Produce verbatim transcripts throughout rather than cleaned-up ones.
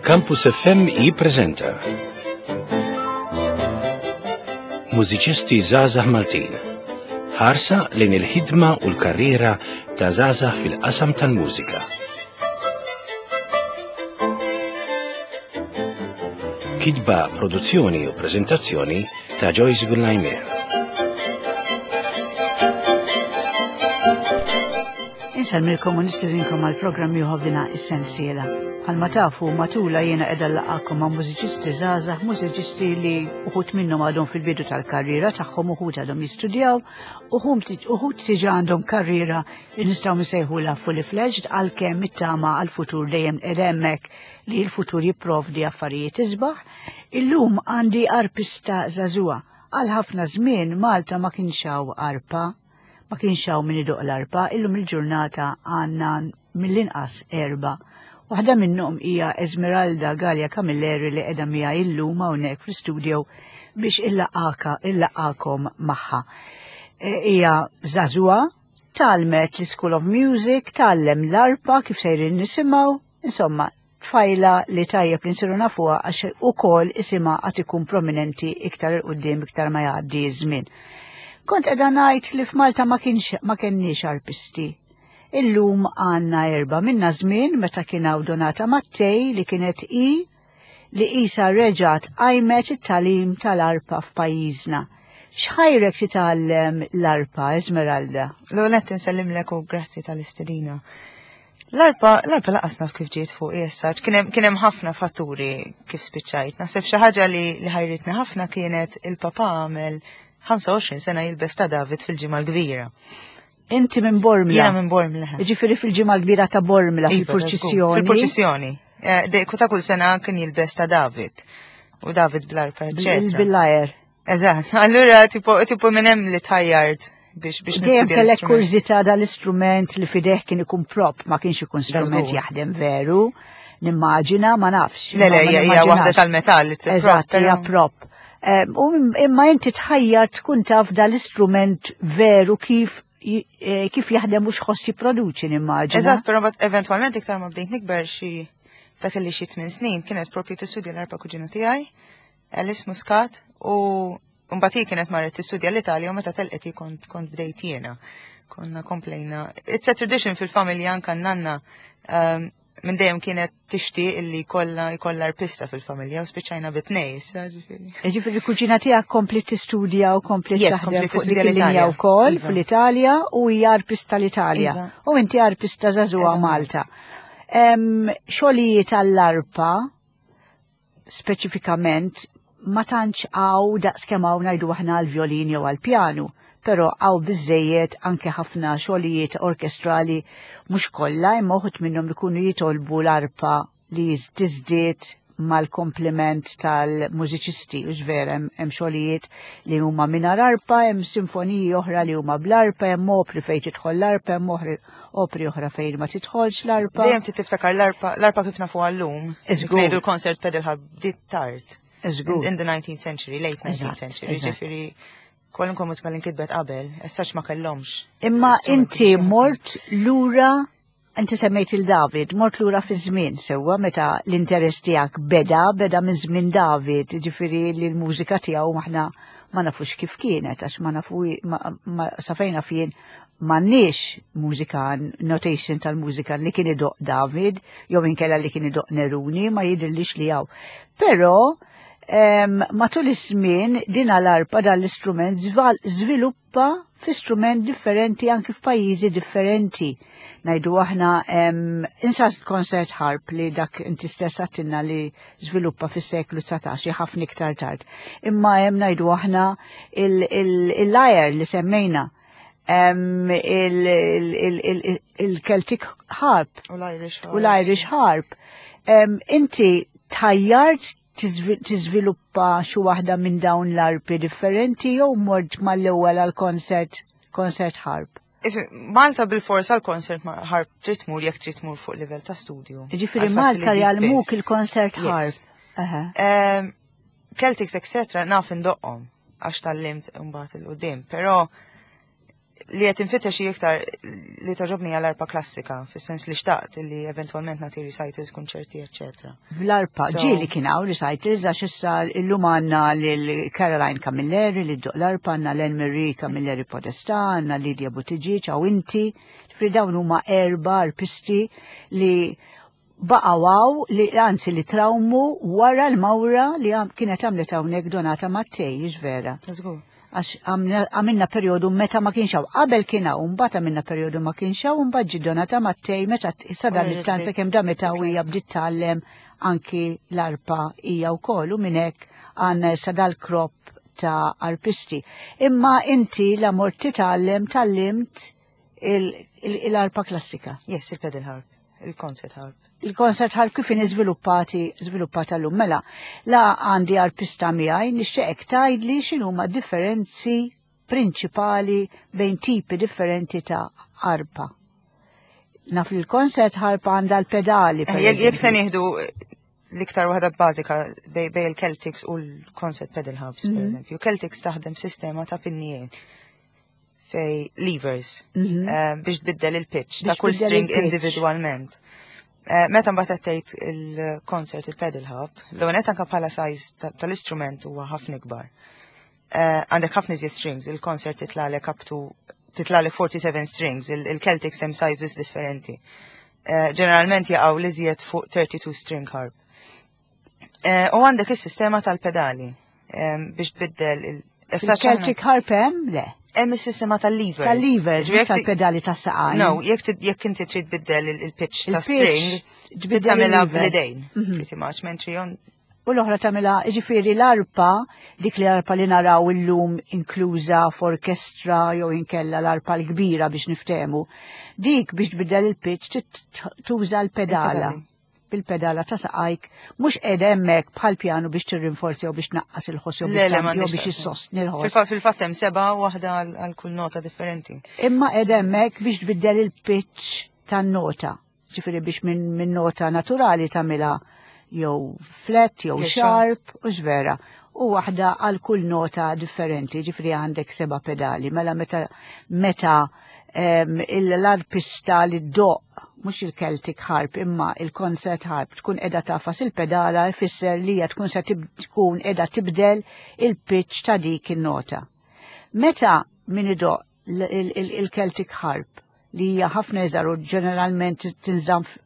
Campus F M jippreżenta Mużiċisti Żgħażagħ Maltin. Ħarsa lejn il-ħidma u l-karriera ta' żgħażagħ fil-qasam tal-mużika. Kitba, produzzjoni u preżentazzjoni ta' Joyce Gullajmer. Insellmilkom u nistedinkom għal programm ieħor f'dina is-sensiela. Bħalma tafu, matula jiena qiegħda nlaqgħakom ma' mużiċisti żgħażagħ, mużiċisti li uħud minnhom għadhom fil-bidu tal-karriera tagħhom, uħud għadhom jistudjaw, uħud diġà għandhom karriera li nistgħu nsejħulha fully fledged, għalkemm it-tama għall-futur dejjem qiegħda hemmhekk li l-futur jipprovdi affarijiet isbaħ. Illum għandi arpista żagħżugħa. Għal ħafna żmien Malta ma kienx hawn arpa, ma kienx hawn min idoq l-arpa, illum il-ġurnata għandna mill-inqas erba'. Waħda minnhom hija Esmeralda Galea Camilleri li qiegħda miegħi illum hawnhekk fl-istudio biex illaqaka illaqakom magħha. Hija żagħżugħa, tgħallmet l-School of Music, tgħallem l-arpa kif sejrin nisimgħu, insomma, tfajla li tajjeb li nsiru nafuha għax ukoll isimha għad ikun prominenti iktar 'il quddiem iktar ma jgħaddi ż-żmien. Kont qiegħda ngħid li f'Malta ma kienx ma kenniex arpisti. Illum għandna erba' minna żmien meta kien hawn Donata Mattei li kienet i li isa reġgħet qajmet it-tagħlim tal-arpa f'pajjiżna. X'ħajrek titgħallem l-arpa, Esmeralda? L-ewwel qed insellimlek u grazzi tal-istedina. L-arpa, l-arpa lanqas naf kif ġiet fuq issa, kien hemm ħafna fatturi kif spiċċajt. Naħseb xi ħaġa li, li ħajritni ħafna kienet il-papa għamel ħamsa u għoxrin sena jilbes ta' David fil-Ġimgħa l-Kbira. Inti minn Bormla? Jiena minn Bormla. Ġifieri fil-Ġimgħa l-Kbira ta' Bormla, Iva, fil-purċissjoni. Fil-purċissjoni. Eh, ta' kull sena kien jilbes ta' David. U David bl-arpa, eccetera. Bil-lyre. Eżatt. Allura tipo tipo minn hemm li tħajjart biex biex Dejjem kellek kurżità dal-istrument li fideh kien ikun prop, ma kienx ikun strument jaħdem veru. Nimmaġina, ma nafx. Le, le, hija waħda tal-metall, it's a prop. Eżatt, hija prop. U imma inti tħajjar tkun taf dal-istrument veru kif kif jaħdem u x'ħoss jipproduċi, nimmaġina. Eżatt, però eventwalment iktar ma bdejt nikber xi dak li xi tmien snin kienet propju tistudja l-arpa kuġina tiegħi, Alice Muscat, u mbagħad hi kienet marret tistudja l-Italja u meta telqet kont kont bdejt jiena. Konna komplejna. It's a tradition fil-familja, anka nanna um, minn dejjem kienet tixtieq illi jkollha jkollha arpista fil-familja u spiċċajna bit-tnejn issa, ġifieri. Ġifieri kuġina tiegħek kompli tistudja u kompli Yes, taħdem kompli fuq tistudja dik il-linja l-Italja. wkoll Iva. fl-Italja u hija arpista l-Italja. Iva. U inti arpista żagħżugħa Eżatt. Malta. Em, Xogħlijiet għall-arpa speċifikament ma tantx hawn daqs kemm hawn ngħidu aħna għall-vjolin jew għall-pjanu, però hawn biżejjed anke ħafna xogħlijiet orkestrali, mhux kollha imma uħud minnhom ikunu jitolbu l-arpa li tiżdied mal-kompliment tal-mużiċisti, u vera hemm xogħlijiet li huma mingħajr arpa, hemm sinfoniji oħra li huma bl-arpa, hemm opri fejn tidħol l-arpa, hemm oħri opri oħra fejn ma tidħolx l-arpa. Dejjem trid tiftakar l-arpa, l-arpa kif nafu għallum. Iżgur. Ngħidu l-concert pedal harp bdiet tard. Iżgur. In, in the nineteenth century, late nineteenth Eżatt, century. eżatt. Ġifieri kwalunkwe mużika li nkitbet qabel, essaċ ma kellhomx Imma l-istrumenti inti biex jaħdmu. mort lura, inti semmejt il-David, mort lura fi żmien sewwa meta l-interess tiegħek beda, beda minn żmien David, ġifieri li l-mużika tiegħu aħna ma nafux kif kienet, għax ma nafu, ma, ma safejna fien m'għandniex mużika, notation tal-mużika li kien idoq David, jew inkella li kien idoq Neruni, ma jidhirlix li hawn. Però em, matul iż-żmien din l-arpa, dan l-istrument żviluppa fi strument differenti anki f'pajjiżi differenti. Ngħidu aħna em, insas concert harp li dak inti stess għattinna li żviluppa fis-seklu dsatax, ħafna iktar tard. Imma hemm ngħidu aħna il-lyre li semmejna, em, il-Celtic harp U l-Irish harp. U l-Irish harp. Em, Inti tħajjart tiżviluppa xi waħda minn dawn l-arpi differenti jew mort mal-ewwel għal concert concert harp? If, Malta bil-fors għal concert harp trid tmur jekk trid tmur fuq livell ta' studju. Ġifieri Għal fatt Malta li dik jgħallmuk biss. il-concert Yes. harp. Aha. Em, Celtics, et cetera, naf indoqqhom għax tgħallimt mbagħad 'il quddiem, però Li qed infittex hi iktar li togħġobni għall-arpa klassika, fis-sens li xtaqt li eventwalment nagħti recitals, konċerti, eccetera. Bl-arpa, So- ġieli kien hawn recitals, għax issa illum għandna lil Caroline Camilleri li ddoqq l-arpa, għandna Len Marie Camilleri Podesta, għandna Lydia Buttigieg, hawn inti, ġifieri dawn huma erba arpisti li baqgħu, li anzi li trawmu wara l-mawra li għam- kienet għamlet hawnhekk Donata Mattei, vera. Żgur. Għax għamna- għamilna periodu meta ma kienx hawn. Qabel kien hawn, mbagħad għamilna periodu ma kienx hawn, mbagħad ġie Donata Mattei meta sadan U it-tanza kemm da meta hija bdiet tgħallem anki l-arpa hija wkoll u minn hekk għandna issa dal-crop ta' arpisti. Imma inti la mort titgħallem tgħallimt il-arpa klassika. Yes, il-pedal harp, il-concert harp. Il-concert harp kif inhi żviluppati żviluppata llum. Mela, la għandi arpista miegħi, nixtieqek tgħidli x'inhuma differenzi prinċipali bejn tipi differenti ta' arpa. Naf li l-concert harp għandha l-pedali. Per Eh, Jekk jekk se eżempju. nieħdu l-iktar waħda bażika bej bej il-Celtics u l-concert pedal harps, per eżempju. Celtics taħdem sistema ta' pinnijiet fej levers Mhm. eh, biex tbiddel il-pitch ta' Biex kull tbiddel string il-pitch. individualment. Eh, Meta mbagħad qed tgħid il-concert il-pedal harp, l-ewwel anke bħala size ta- tal-istrument huwa ħafna ikbar. Eh, Għandek ħafna iżjed strings, il-concert titlalek up to titlalek forty-seven strings, il- il-Celtics hemm sizes differenti. Eh, Ġeneralment jaqgħu li iżjed fuq thirty-two string harp. Eh, U għandek is-sistema tal-pedali em, biex tbiddel il- issa Il-Celtic harp hemm? Le. Hemm is-sistema tal-levers. Tal-levers, Ġifieri jekk ti- tal-pedali tas-saqajn. No, jekk ti- jekk inti trid tbiddel il- il-pitch ta' Il-pitch, string, tbiddel tagħmilha il-lever. bl-idejn, Mhm. pretty much, mentri on U l-oħra tagħmilha, ġifieri l-arpa, dik li arpa li naraw illum inkluża f'orkestra jew inkella l-arpa l-kbira biex niftehmu. Dik biex tbiddel il-pitch trid tuża l-pedala. Il-pedali. Bil-pedala ta' saqajk, mhux qiegħda hemmhekk bħal pjanu biex tirrinforzi jew biex tnaqqas il-ħoss jew Le, biex le, tagħmel- jew m'għandix biex x'taqsam. issostni l-ħoss. Fil-fa- Fil-fatt hemm seba' waħda għal għal kull nota differenti. Imma qiegħda hemmhekk biex tbiddel il-pitch tan-nota. Ġifieri biex minn min nota naturali tagħmilha jew flat jew Jew sharp u vera. U waħda għal kull nota differenti, ġifieri għandek seba' pedali. Mela meta meta em, l-arpista li ddoqq mhux il-Celtic harp imma il-concert harp tkun qiegħda tagħfas il-pedala jfisser li hija tkun se tib- tkun qiegħda tibdel il-pitch ta' dik in-nota. Meta min idoqq il-Celtic harp li hija ħafna iżgħar u ġeneralment tinżamm f-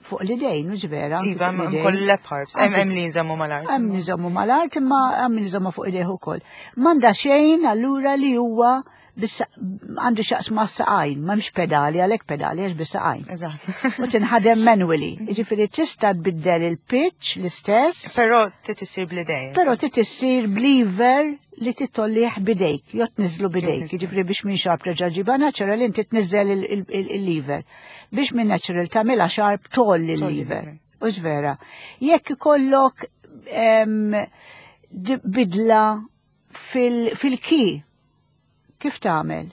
fuq l-idejn, mhux vera? Anki Iva, fuq hemm l-idejn. kull lap harps, hemm hemm li nżammu mal-art. Hemm nżommu mal-art imma hemm nżommu fuq idejh ukoll. M'għandha xejn allura li huwa bis- għandu x'jaqsam ma' saqajn, m'hemmx pedali, għalhekk pedali għax bis-saqajn. Eżatt. U tinħadem manually. Jiġifieri tista' tbiddel il-pitch l-istess. Però trid issir bl-idejn. Però trid issir b'lever li tittollih bidejk, jew tniżlu bidejk. tniżlu. Jiġifieri biex minn sharp terġa' ġiba natural inti tniżel il- il- il- il-lever. Biex minn natural tagħmilha sharp tolli Tolli il-lever. il-lever. Ux vera. Jekk ikollok em, di- bidla fil- fil-key, kif tagħmel?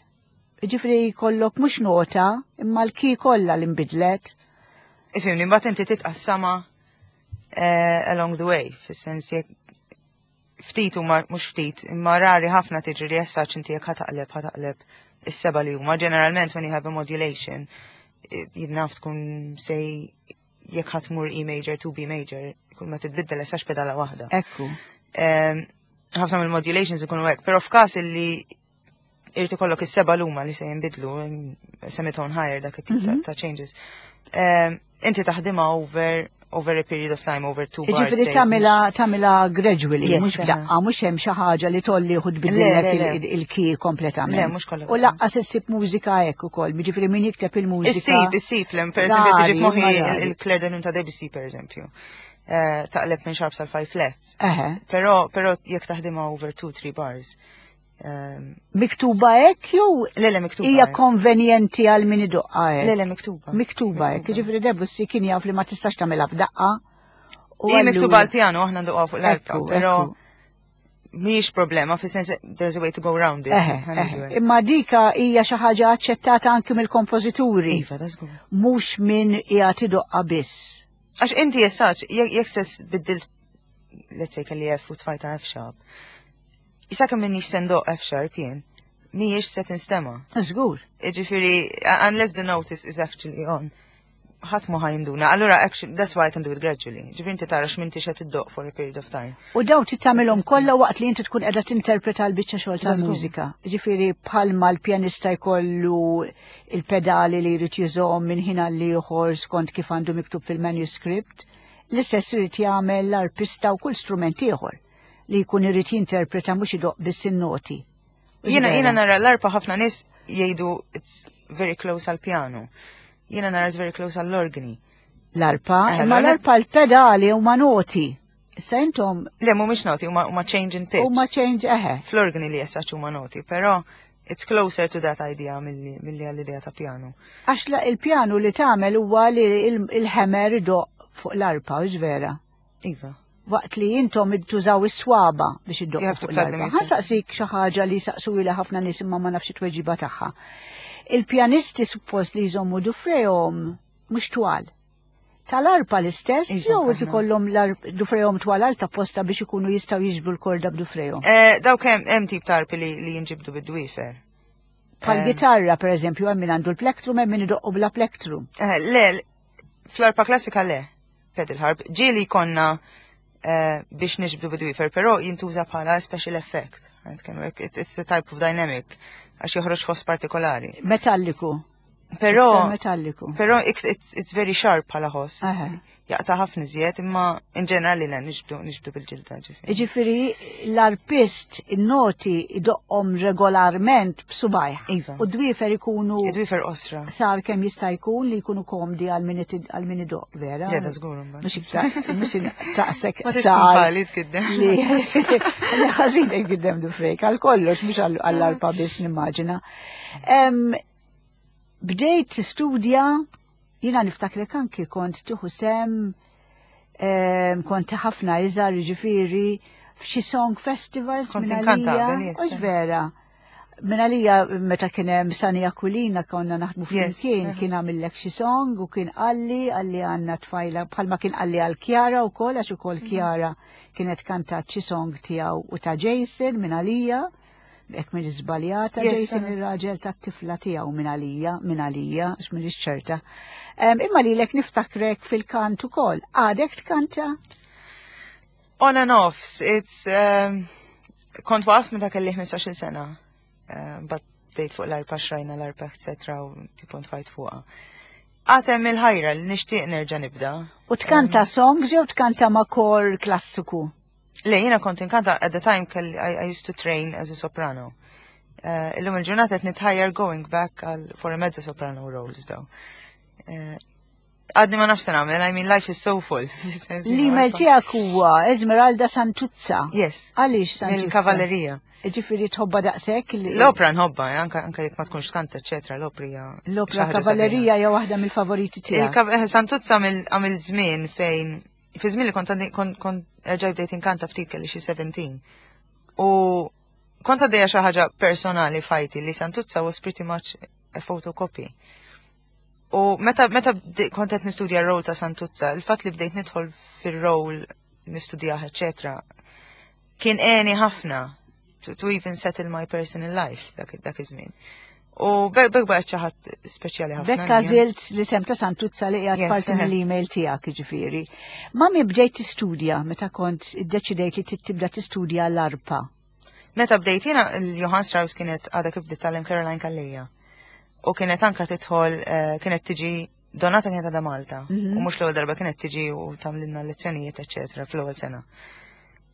Ġifieri jkollok mhux nota, imma l-key kollha li nbidlet. Ifhimni, mbagħad inti titqassama eh, along the way, fis-sens jekk ftit huma mhux ftit, imma rari ħafna tiġri li essa inti jekk ħa taqleb ħa taqleb is-seba' li huma. Ġeneralment when you have a modulation, eh, jidnaf tkun sej jekk ħa tmur E major to B major, kull ma titbiddel essax pedala waħda. Ekku. Em, ħafna mill-modulations ikunu hekk, però f'każ illi irid ikollok is-seba' luma li se jinbidlu, semitone higher dak it-tip ta- ta' changes. Em, Inti taħdimha over over a period of time, over two bars. Ġifieri say, tagħmilha tagħmilha gradually, Yes, mhux aha. f'daqqa, mhux hemm xi ħaġa li tolli u tbiddillek Le, le, le. il- il-key kompletament. Le, mhux kollha. U lanqas issib mużika hekk ukoll, jiġifieri min jikteb il-mużika. Issib, issib, lem, per eżempju, tiġi Rari, f'moħħi imma rari. il-Clair de Lune ta' Debussy, per eżempju. Eh, Taqleb minn sharp sal five flats. Eħe. Però, però jekk taħdimha over two, three bars. Em, Miktuba hekk jew Le, le, miktuba. hija hekk. konvenjenti għal min idoqqa hekk? Le, le, miktuba. Miktuba hekk, jiġifieri Debussy kien jaf li ma tistax tagħmilha f'daqqa. U Hija miktuba allura- għal piano, aħna ndoqquha fuq l-arpa, Ekku, però ekku. mhijiex problema, fis sens there's a way to go round it. Eħe, Ħa ngħidu eħe. hekk. Imma dika hija xi ħaġa aċċettata anki mill-kompożituri, Iva, that's good. mhux min qiegħed idoqqa biss. Għax inti jessaċ, jekk sess biddilt, let's say kelli F u tfajta F sharp, Issa kemm minni sendoq F sharp jien, mhijiex se tinstema. Żgur. Ġifieri, unless the notice is actually on, ħadd mu ħa jinduna. Allura, actually, that's why I can do it gradually. Ġifieri inti tara x'minti xed iddoqq for a period of time. U daw tittamilhom kollha waqt li inti tkun qiegħda tinterpreta l-biċċa xogħol tal-mużika. Ġifieri bħalma l-pjanista jkollu il-pedali li jrid jużahom minn ħin għal ieħor skont kif għandu miktub fil-manuscript, l-istess irid jagħmel l-arpista u kull strument ieħor li jkun irid jinterpreta, mhux idoqq biss in-noti. Jiena jiena nara l-arpa, ħafna nies jgħidu it's very close għal piano. Jiena nara it's very close għall-organi. L-arpa, Eh, imma l-arpa- l-arpa l-pedali huma noti. Issa intom Le, mhumiex noti, huma huma change in pitch. Huma change, eħe. Fl-organi li jessaċ huma noti, però it's closer to that idea milli milli għall-idea ta' piano. Għax la- il-pjanu li tagħmel huwa li il- il-hammer idoqq fuq l-arpa, hux vera? Iva. Waqt li intom tużaw is-swaba biex iddoqqu You have to fuq plug them l-arpa. yourself. Ħa nsaqsik xi ħaġa li saqsu ħafna nies imma ma nafx it-tweġiba tagħha. Il-pjanisti suppost li jżommu dufrejhom mhux twal. Tal-arpa l-istess Iva, jew aħna. ikollhom dufrejhom twal għal ta' posta biex ikunu jistgħu jiġbdu l-korda b'dufrejhom? Eh, Dawk hemm hemm tip ta' arpi li, li jinġibdu bid-dwifer. Bħal gitarra, per eżempju, hemm min għandu l-plektrum, hemm min idoqqu bla plektrum. Eh, le, fl-arpa klassika le, pedal harp. Ġieli konna eh, biex niġbdu bid-dwifer, però jintuża bħala special effect. Għand hekk, It's, it's a type of dynamic, għax joħroġ ħoss partikolari. Metalliku. Però, Iktar metalliku. però it's, it's, it's very sharp bħala ħoss. Aha. Jaqta' ħafna iżjed, imma in ġenerali le, niġbdu, niġbdu bil-ġilda, ġifieri. Ġifieri l-arpist in-noti idoqqhom regolarment b'subajh. Iva. U d-dwifer ikunu Id-dwifer qosra. Sar kemm jista' jkun li jkunu komdi għal min itid- għal min idoqq, vera? Ġeda żgur imbagħad. Mhux iktar, mhux taqsek Ma tix sar. tkun tkiddem. Li li ħażin jgiddem dufrejk, għal kollox, mhux għall- għall-arpa biss nimmaġina. Em, Bdejt tistudja, jiena niftakrek anki kont tieħu sem, em, kont ħafna iżgħar, ġifieri, f'xi song festivals Kont minn inkanta għalija. qabel, yes. Hux vera? Minn għalija meta kien hemm Sani Aquilina, konna naħdmu Yes, flimkien, aha. kien għamillek xi song u kien qalli, qalli għandna tfajla, bħalma kien qalli għal Kjara u kol, għax ukoll Kjara kienet kantat xi song tiegħu u ta' Jason minn għalija, jekk minn żbaljata, Yes, Jason aha. ir-raġel ta' tifla tiegħu minn għalija, minn għalija, għax minn ċerta. Em, Imma lilek niftakrek fil-kant ukoll. Għadek tkanta? On and off, it's, um, kont waqaf meta kelli ħmistax-il sena. Uh, but bdejt fuq l-arpa, xrajna l-arpa, et cetera u tipo ntfajt fuqha. Għad hemm il-ħajra li nixtieq nerġa' nibda. U tkanta songs jew tkanta ma' kor klassiku? Le, jiena kont inkanta at the time kelli I, I used to train as a soprano. Uh, illum il-ġurnata qed nitħajjar going back għal for a mezzo soprano roles though. Uh, Għadni ma nafx se nagħmel, I mean, life is so full. L-email tiegħek huwa Esmeralda Santuzza. Yes. Għaliex Santuzza? Mill-kavallerija. Ġifieri tħobba daqshekk li- L-opra nħobba, eh, anka anka jekk ma tkunx kanta, eccetera, l-opra hija L-opra xi ħaġa kavallerija hija waħda mill-favoriti tiegħek. Il-kav- eh, Santuzza għamil żmien fejn fi żmien li kont għandi- kont kont erġaj bdejt inkanta ftit, kelli xi sittax. U kont għaddejja xi ħaġa personali f'ħajti li Santuzza was pretty much a photocopy. U meta meta bde- kont qed nistudja r-rol ta' Santuzza, il-fatt li bdejt nidħol fir-rol nistudjah, eccetera, kien għeni ħafna to, to even settle my personal life dak dak iż-żmien. U bekk bekk baqgħet xi ħadd speċjali ħafna Bekk għalija. għażilt l-isem ta' Santuzza li qiegħed Yes, parti eh. mill-email tiegħek, ġifieri. Ma mi bdejt tistudja, meta kont iddeċidejt li tibda tistudja l-arpa? Meta bdejt jiena, il-Johann Strauss kienet għadha kif bdiet tgħallem Caroline Calleja. U kienet anka tidħol, eh, kienet tiġi, Donata kienet għadha Malta. Mhm. U mhux l-ewwel darba kienet tiġi u tagħmlilna lezzjonijiet, eċetera, fl-ewwel sena.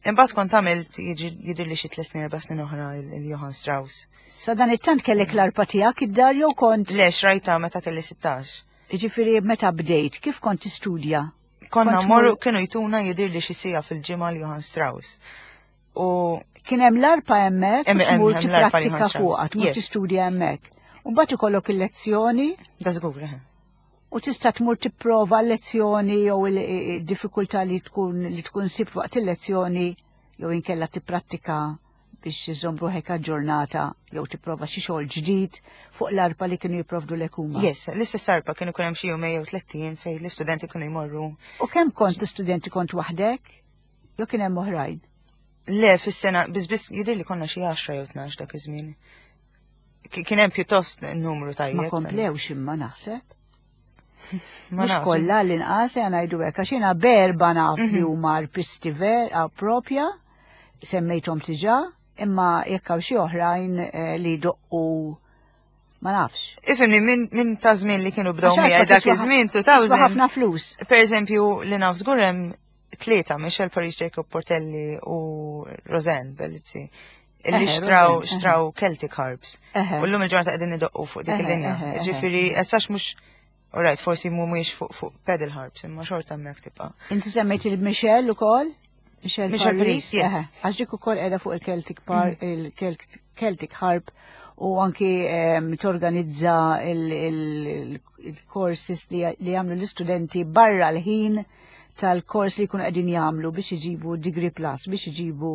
Imbagħad kont għamilt jiġi jidher li xi tliet snin, erba' snin oħra il-Johann Strauss. Sa dan it-tant kellek l-arpa tiegħek id-dar jew kont? Le, xrajta meta kelli sittax. Ġifieri meta bdejt, kif kont tistudja? Konna Kont morru mur- kienu jtuna jidir li xi siegħa fil-ġimgħa l-Johann Strauss. U Kien hemm l-arpa hemmhekk, u Hemm- hemm- tmur hemm l-arpa tipprattika Johann Strauss. fuqha, tmur Yes. tistudja hemmhekk. U mbagħad ikollok il-lezzjoni Da żgur, eh. u tista' tmur tipprova l-lezzjoni jew il-diffikultà li tkun li tkun sibt waqt il-lezzjoni jew inkella tipprattika biex iżżomm ruħek aġġornata jew tipprova xi xogħol ġdid fuq l-arpa li kienu jipprovdu lek huma. Yes, l-istess arpa kienu jkun hemm xi jumej jew tlett ijiem fejn l-istudenti kienu jmorru. U kemm kont l-istudenti, kont waħdek? Jew kien hemm oħrajn? Le, fis-sena, biss biss jidher li konna xi għaxra jew tnax dak iż-żmien. Kien hemm pjuttost numru tajjeb. Ma komplewx imma naħseb. Mhux kollha l-inqas ngħidu hekk, għax jiena berba naf li huma arpisti vera propja, semmejthom diġà, imma jekk hawn xi oħrajn li doqqu ma nafx. Ifhimni, minn ta' żmien li kienu bdew miegħi dak iż-żmien two thousand. Ħafna flus. Per eżempju, li naf żgur hemm tlieta, Michelle Paris, Jacob Portelli u Roseanne Bellizzi, illi xtraw xtraw Celtic harps. U llum il-ġurnata qegħdin idoqqu fuq dik il-linja. Ġifieri, essax mhux, alright, forsi mhumiex fuq fuq pedal harps, imma xorta hemmhekk tibqa'. Inti semmejt il-Michelle ukoll? Michelle Paris, yes. Għax dik ukoll qiegħda fuq il-Celtic par, il-Celtic harp, u anki torganizza il-courses li jagħmlu l-istudenti barra l-ħin tal-kors li jkunu qegħdin jagħmlu biex iġibu degree plus, biex iġibu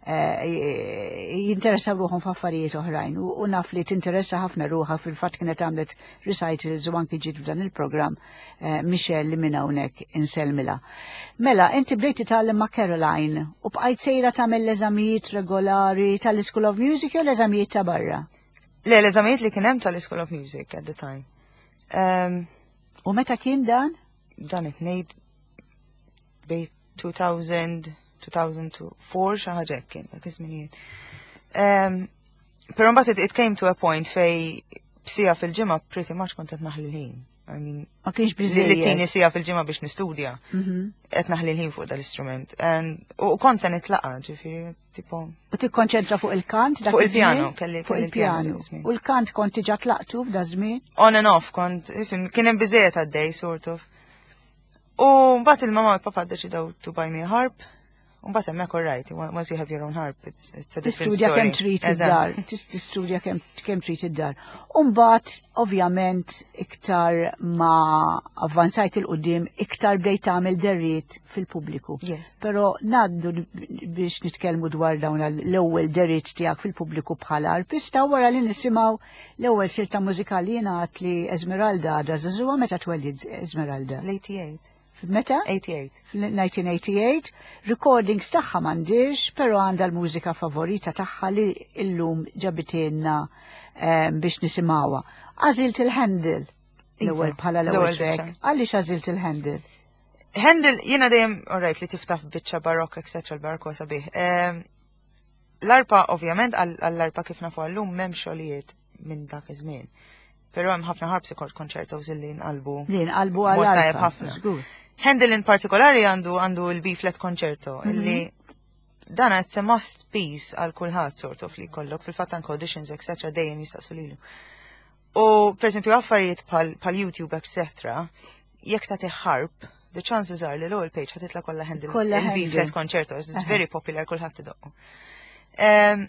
jinteressaw ruħhom f'affarijiet oħrajn. U naf li tinteressa ħafna ruħha, fil-fatt kienet għamlet recitals u anki ġiet f'dan il-programm Michelle li minn hawnhekk insellmilha. Mela, inti bdejt titgħallem ma' Caroline u bqajt sejra tagħmel l-eżamijiet regolari tal-School of Music jew l-eżamijiet ta' barra? Le, l-eżamijiet li kien hemm tal-School of Music at the time. U meta kien dan? Dan qed ngħid bejn two thousand, two thousand four, xi ħaġa hekk kien dak iż-żminijiet. Però mbagħad it came to a point fej b'sija fil-ġimgħa pretty much kont qed naħli l-ħin. I mean, ma kienx biżejjed. Li tini sija fil-ġimgħa biex nistudja. Qed naħli l-ħin fuq dal-istrument. U kont se nitlaqa, ġifieri, tipo. U tikkonċentra fuq il-kant dak Fuq il-pjano, kelli fuq il-pjano. U l-kant kont diġà tlaqtu f'da żmien? On and off kont, ifhem, kien hemm biżejjed għaddej, sort of. U mbagħad il-mama u l-papa ddeċidew to buy me a harp. U mbagħad hemmhekk all right, once you have your own harp, it's, it's a different Tistudja story. kemm trid id-dar, tistudja kemm trid id-dar. U mbagħad ovvjament iktar ma avvanzajt il-qudiem, iktar bdejt tagħmel deriet fil-pubbliku. Yes. Però ngħaddu biex nitkellmu dwar dawn l-ewwel deriet tiegħek fil-pubbliku bħala arpista wara li nisimgħu l-ewwel silta mużikali jingħad li Esmeralda għadha żagħżugħa. Meta twellid Esmeralda? L-eighty-eight. Meta? eighty-eight. Fil-nineteen eighty-eight, recordings tagħha m'għandix, però għandha l-mużika favorita tagħha li illum ġabitilna biex nisimgħuha. Għażilt il-Handel l-ewwel bħala l-ewwel L-ewwel track. biċċa. Għaliex għażilt il-Handel? Handel jiena dejjem, all right, li tiftaħ biċċa barokk, et cetera, l-barokk huwa sabiħ. L-arpa, ovvjament, għall-arpa kif nafu għallum m'hemm xogħlijiet minn dak iż-żmien. Però hemm ħafna harpsichord concertos illi nqalbu. Li nqalbu Mod għall-arpa, tajjeb ħafna. żgur. Handel in partikolari għandu, għandu il-B-flat concerto, Mhm. illi dan it's a must piece għal kulħadd sort of li jkollok, fil-fatt anke auditions, et cetera, dejjem jistaqsu lilu. U per esempio affarijiet bħal, bħal YouTube, et cetera, jekk tagħti harp, the chances are li l-ewwel page ħatitla kollha Handel Kollha il-B-flat Handel. concerto, it's Aha. very popular, kulħadd idoqqu. Ehm,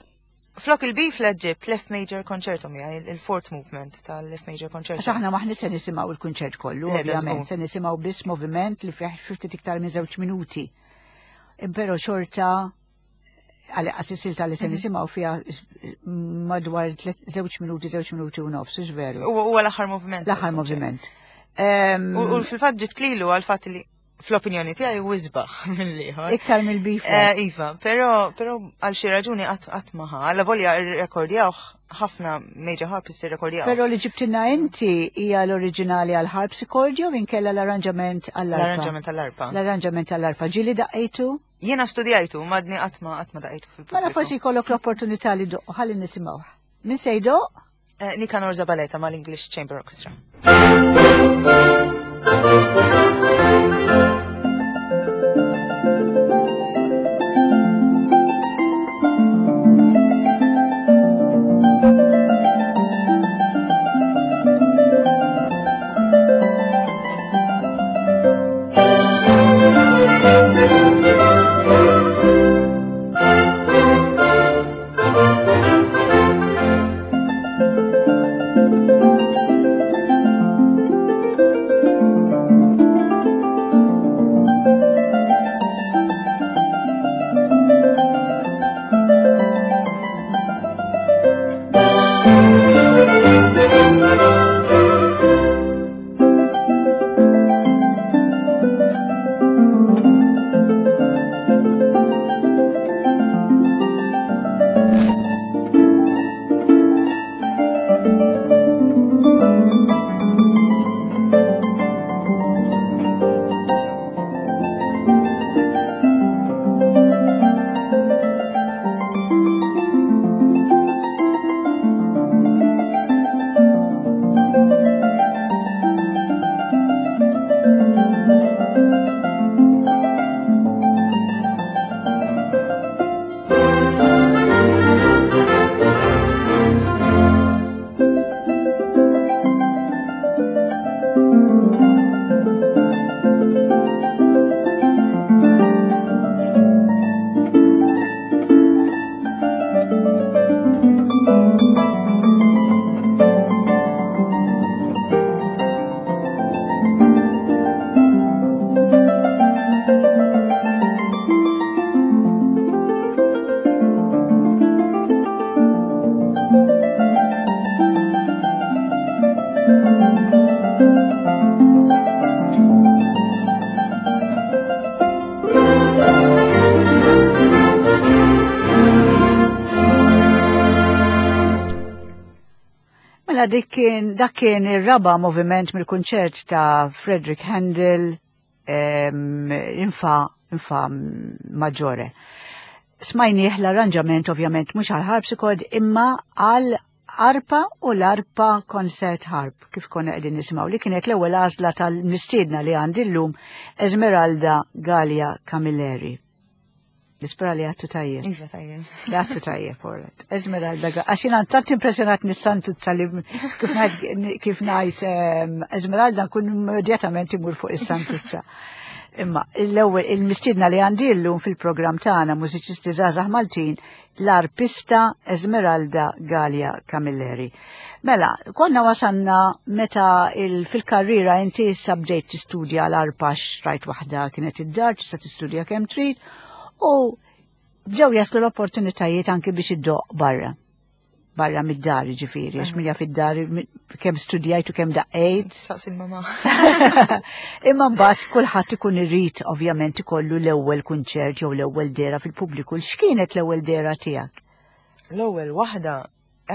Flok il-B-flat ġibt l-F major concerto miegħi, il-, il-fourth movement tal-F major concerto. Għax aħna maħni se nisimgħu il-kunċert kollu, Le, da ovvjament, żgur. se nisimgħu biss moviment li fih ftit iktar minn żewġ minuti. Però xorta għal għas-silta li se Mhm. nisimgħu fiha madwar tliet, żewġ minuti, żewġ minuti u nofs, hux veru? Huwa, huwa l-aħħar moviment L-aħħar tal-kunċert. moviment. Ehm, U, u fil-fatt ġibt lilu għal fatt li fl-opinjoni tiegħi hu isbaħ mill-ieħor. Iktar mill-B-flat. Eh, iva, però, però għal xi raġuni qatt, qatt ma ħa. Alla volja rrekordjawh ħafna major harpists irrekordjawh. Però li ġibtilna inti hija l-oriġinali għal harpsichord jew inkella l-arranġament għall-arpa? L-arranġament għall-arpa. L-arranġament għall-arpa. Ġieli daqqejtu? Jiena studjajtu, madni qatt ma, qatt ma daqqejtu fil-pubbliku. Mela forsi jkollok l-opportunità li doqq, ħalli nisimgħuh. Min se jdoqq? Eh, Nicanor Zabaleta mal-English Chamber Orchestra. Thank you. Mela dik kien dak kien ir-raba moviment mill-kunċert ta' Frederick Handel em, in fa in fa maggiore. Smajnieh l-arranġament ovvjament mhux għal harpsichord imma għal arpa u l-arpa concert harp kif konna qegħdin nisimgħu li kienet l-ewwel għażla tal-mistiedna li għandi llum Esmeralda Galea Camilleri. Nispera li għedtu tajjeb. Iva, tajjeb. Li għedtu tajjeb, alright. Esmeralda Galea. Għax jiena tant impressjonat nis-Santuzza li kif ngħid kif ngħid ehm, Esmeralda nkun immedjatament imur fuq is-Santuzza. Imma l-ewwel il-mistiedna li għandi llum fil-programm tagħna Mużiċisti Żgħażagħ Maltin l-arpista Esmeralda Galea Camilleri. Mela, konna wasanna meta il fil-karriera inti issa bdejt tistudja l-arpa xtrajt waħda kienet id-dar, tista' tistudja kemm trid, u bdew jaslu l-opportunitajiet anki biex iddoqq barra. Barra mid-dar ġifieri, għax minja fid-dar kemm studjajt u kemm daqqejt. Saqsi l-mama. Imma mbagħad kulħadd ikun irid ovvjament ikollu l-ewwel kunċert jew l-ewwel dehra fil-pubbliku. X'kienet l-ewwel dehra tiegħek? L-ewwel waħda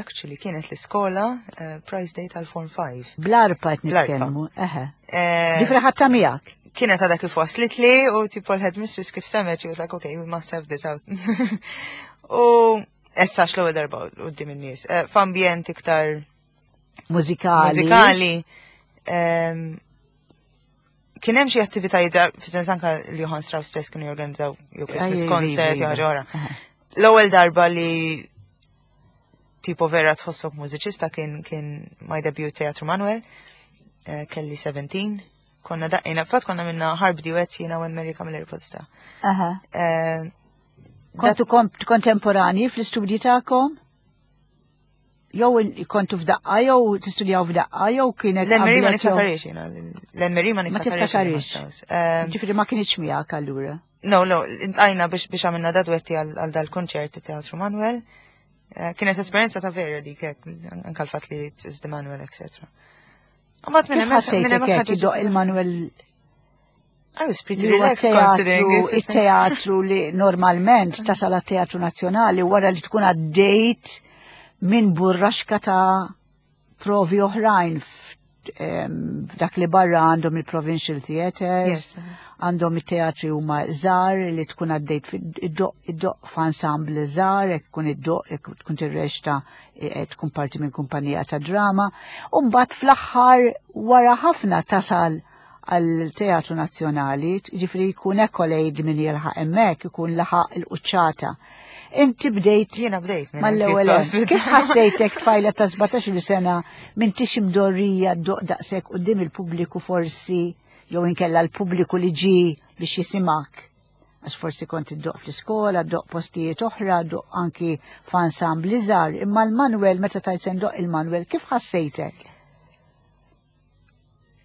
actually kienet l-iskola uh, Prize Day tal-Form five. Bl-arpa qed Bl-arpa. nitkellmu. Eħe. Eh, Ġifieri ħadtha miegħek. Kienet għadha kif waslit li u tipo l-headmistress kif semgħet, she was like, "Okay, we must have this out." U issa l-ewwel darba quddiem in-nies. Eh, F'ambjent iktar Mużikali. Mużikali. Ehm, Kien hemm xi attivitajiet żgħar, fis-sens anka l-Johann Strauss stess kienu jorganizzaw jew Christmas Aj, concert iva, jew ħaġa oħra. Aha. L-ewwel darba li tipo vera tħossok mużiċista kien kien my debut Teatru Manuel, eh, kelli sittax, konna daqqejna, fatt konna minna harp duets jiena u Mary Camilleri Podesta. Aha. Eh, Kontu kom- kontemporani fl-istudji tagħkom? Jew in- kontu f'daqqa jew tistudjaw f'daqqa jew kienet L-Anne-Marie ma qablek jew- niftakarix jiena, l-Anne-Marie ma Ma niftakarix. tiftakarix. Eh, Ġifieri ma kienx miegħek allura. No, no, iltqajna biex biex għamilna da duetti għal għal dal-konċert Teatru Manuel. Eh, Kienet esperjenza ta' vera dik hekk, anka l-fatt li it's the Manuel, et cetera. Mbagħad minn Kif hemmhekk minn ħassejtek hemmhekk hekk ħaġa iddoq il-Manuel I was pretty li huwa relaxed considering teatru, it. Il-teatru li normalment tasal għat-Teatru Nazzjonali wara li tkun għaddejt minn burraxka ta' provi oħrajn f- em, f'dak li barra għandhom il-Provincial Theatres, Yes. għandhom it-teatri huma żgħar li tkun għaddejt iddoqq iddoqq f'ensemble żgħar, jekk tkun iddoqq, jekk tkun tirreċta eh, tkun parti minn kumpanija ta' drama, u mbagħad fl-aħħar wara ħafna tasal għal Teatru Nazzjonali, ġifieri jkun accolade min jilħaq hemmhekk, ikun laħaq il-quċċata. Inti bdejt Jiena bdejt minn mal-ewwel pjuttost. hemm. Kif ħassejtek tfajla ta' sbatax-il sena m'intix imdorrija ddoqq daqshekk quddiem il-pubbliku forsi jew inkella l-pubbliku li ġi biex jisimak? Għax forsi kont iddoqq fl-iskola, ddoqq postijiet oħra, ddoqq anki f'ensemble żgħar, imma l-Manuel meta tajt se ndoqq il-Manuel, kif ħassejtek?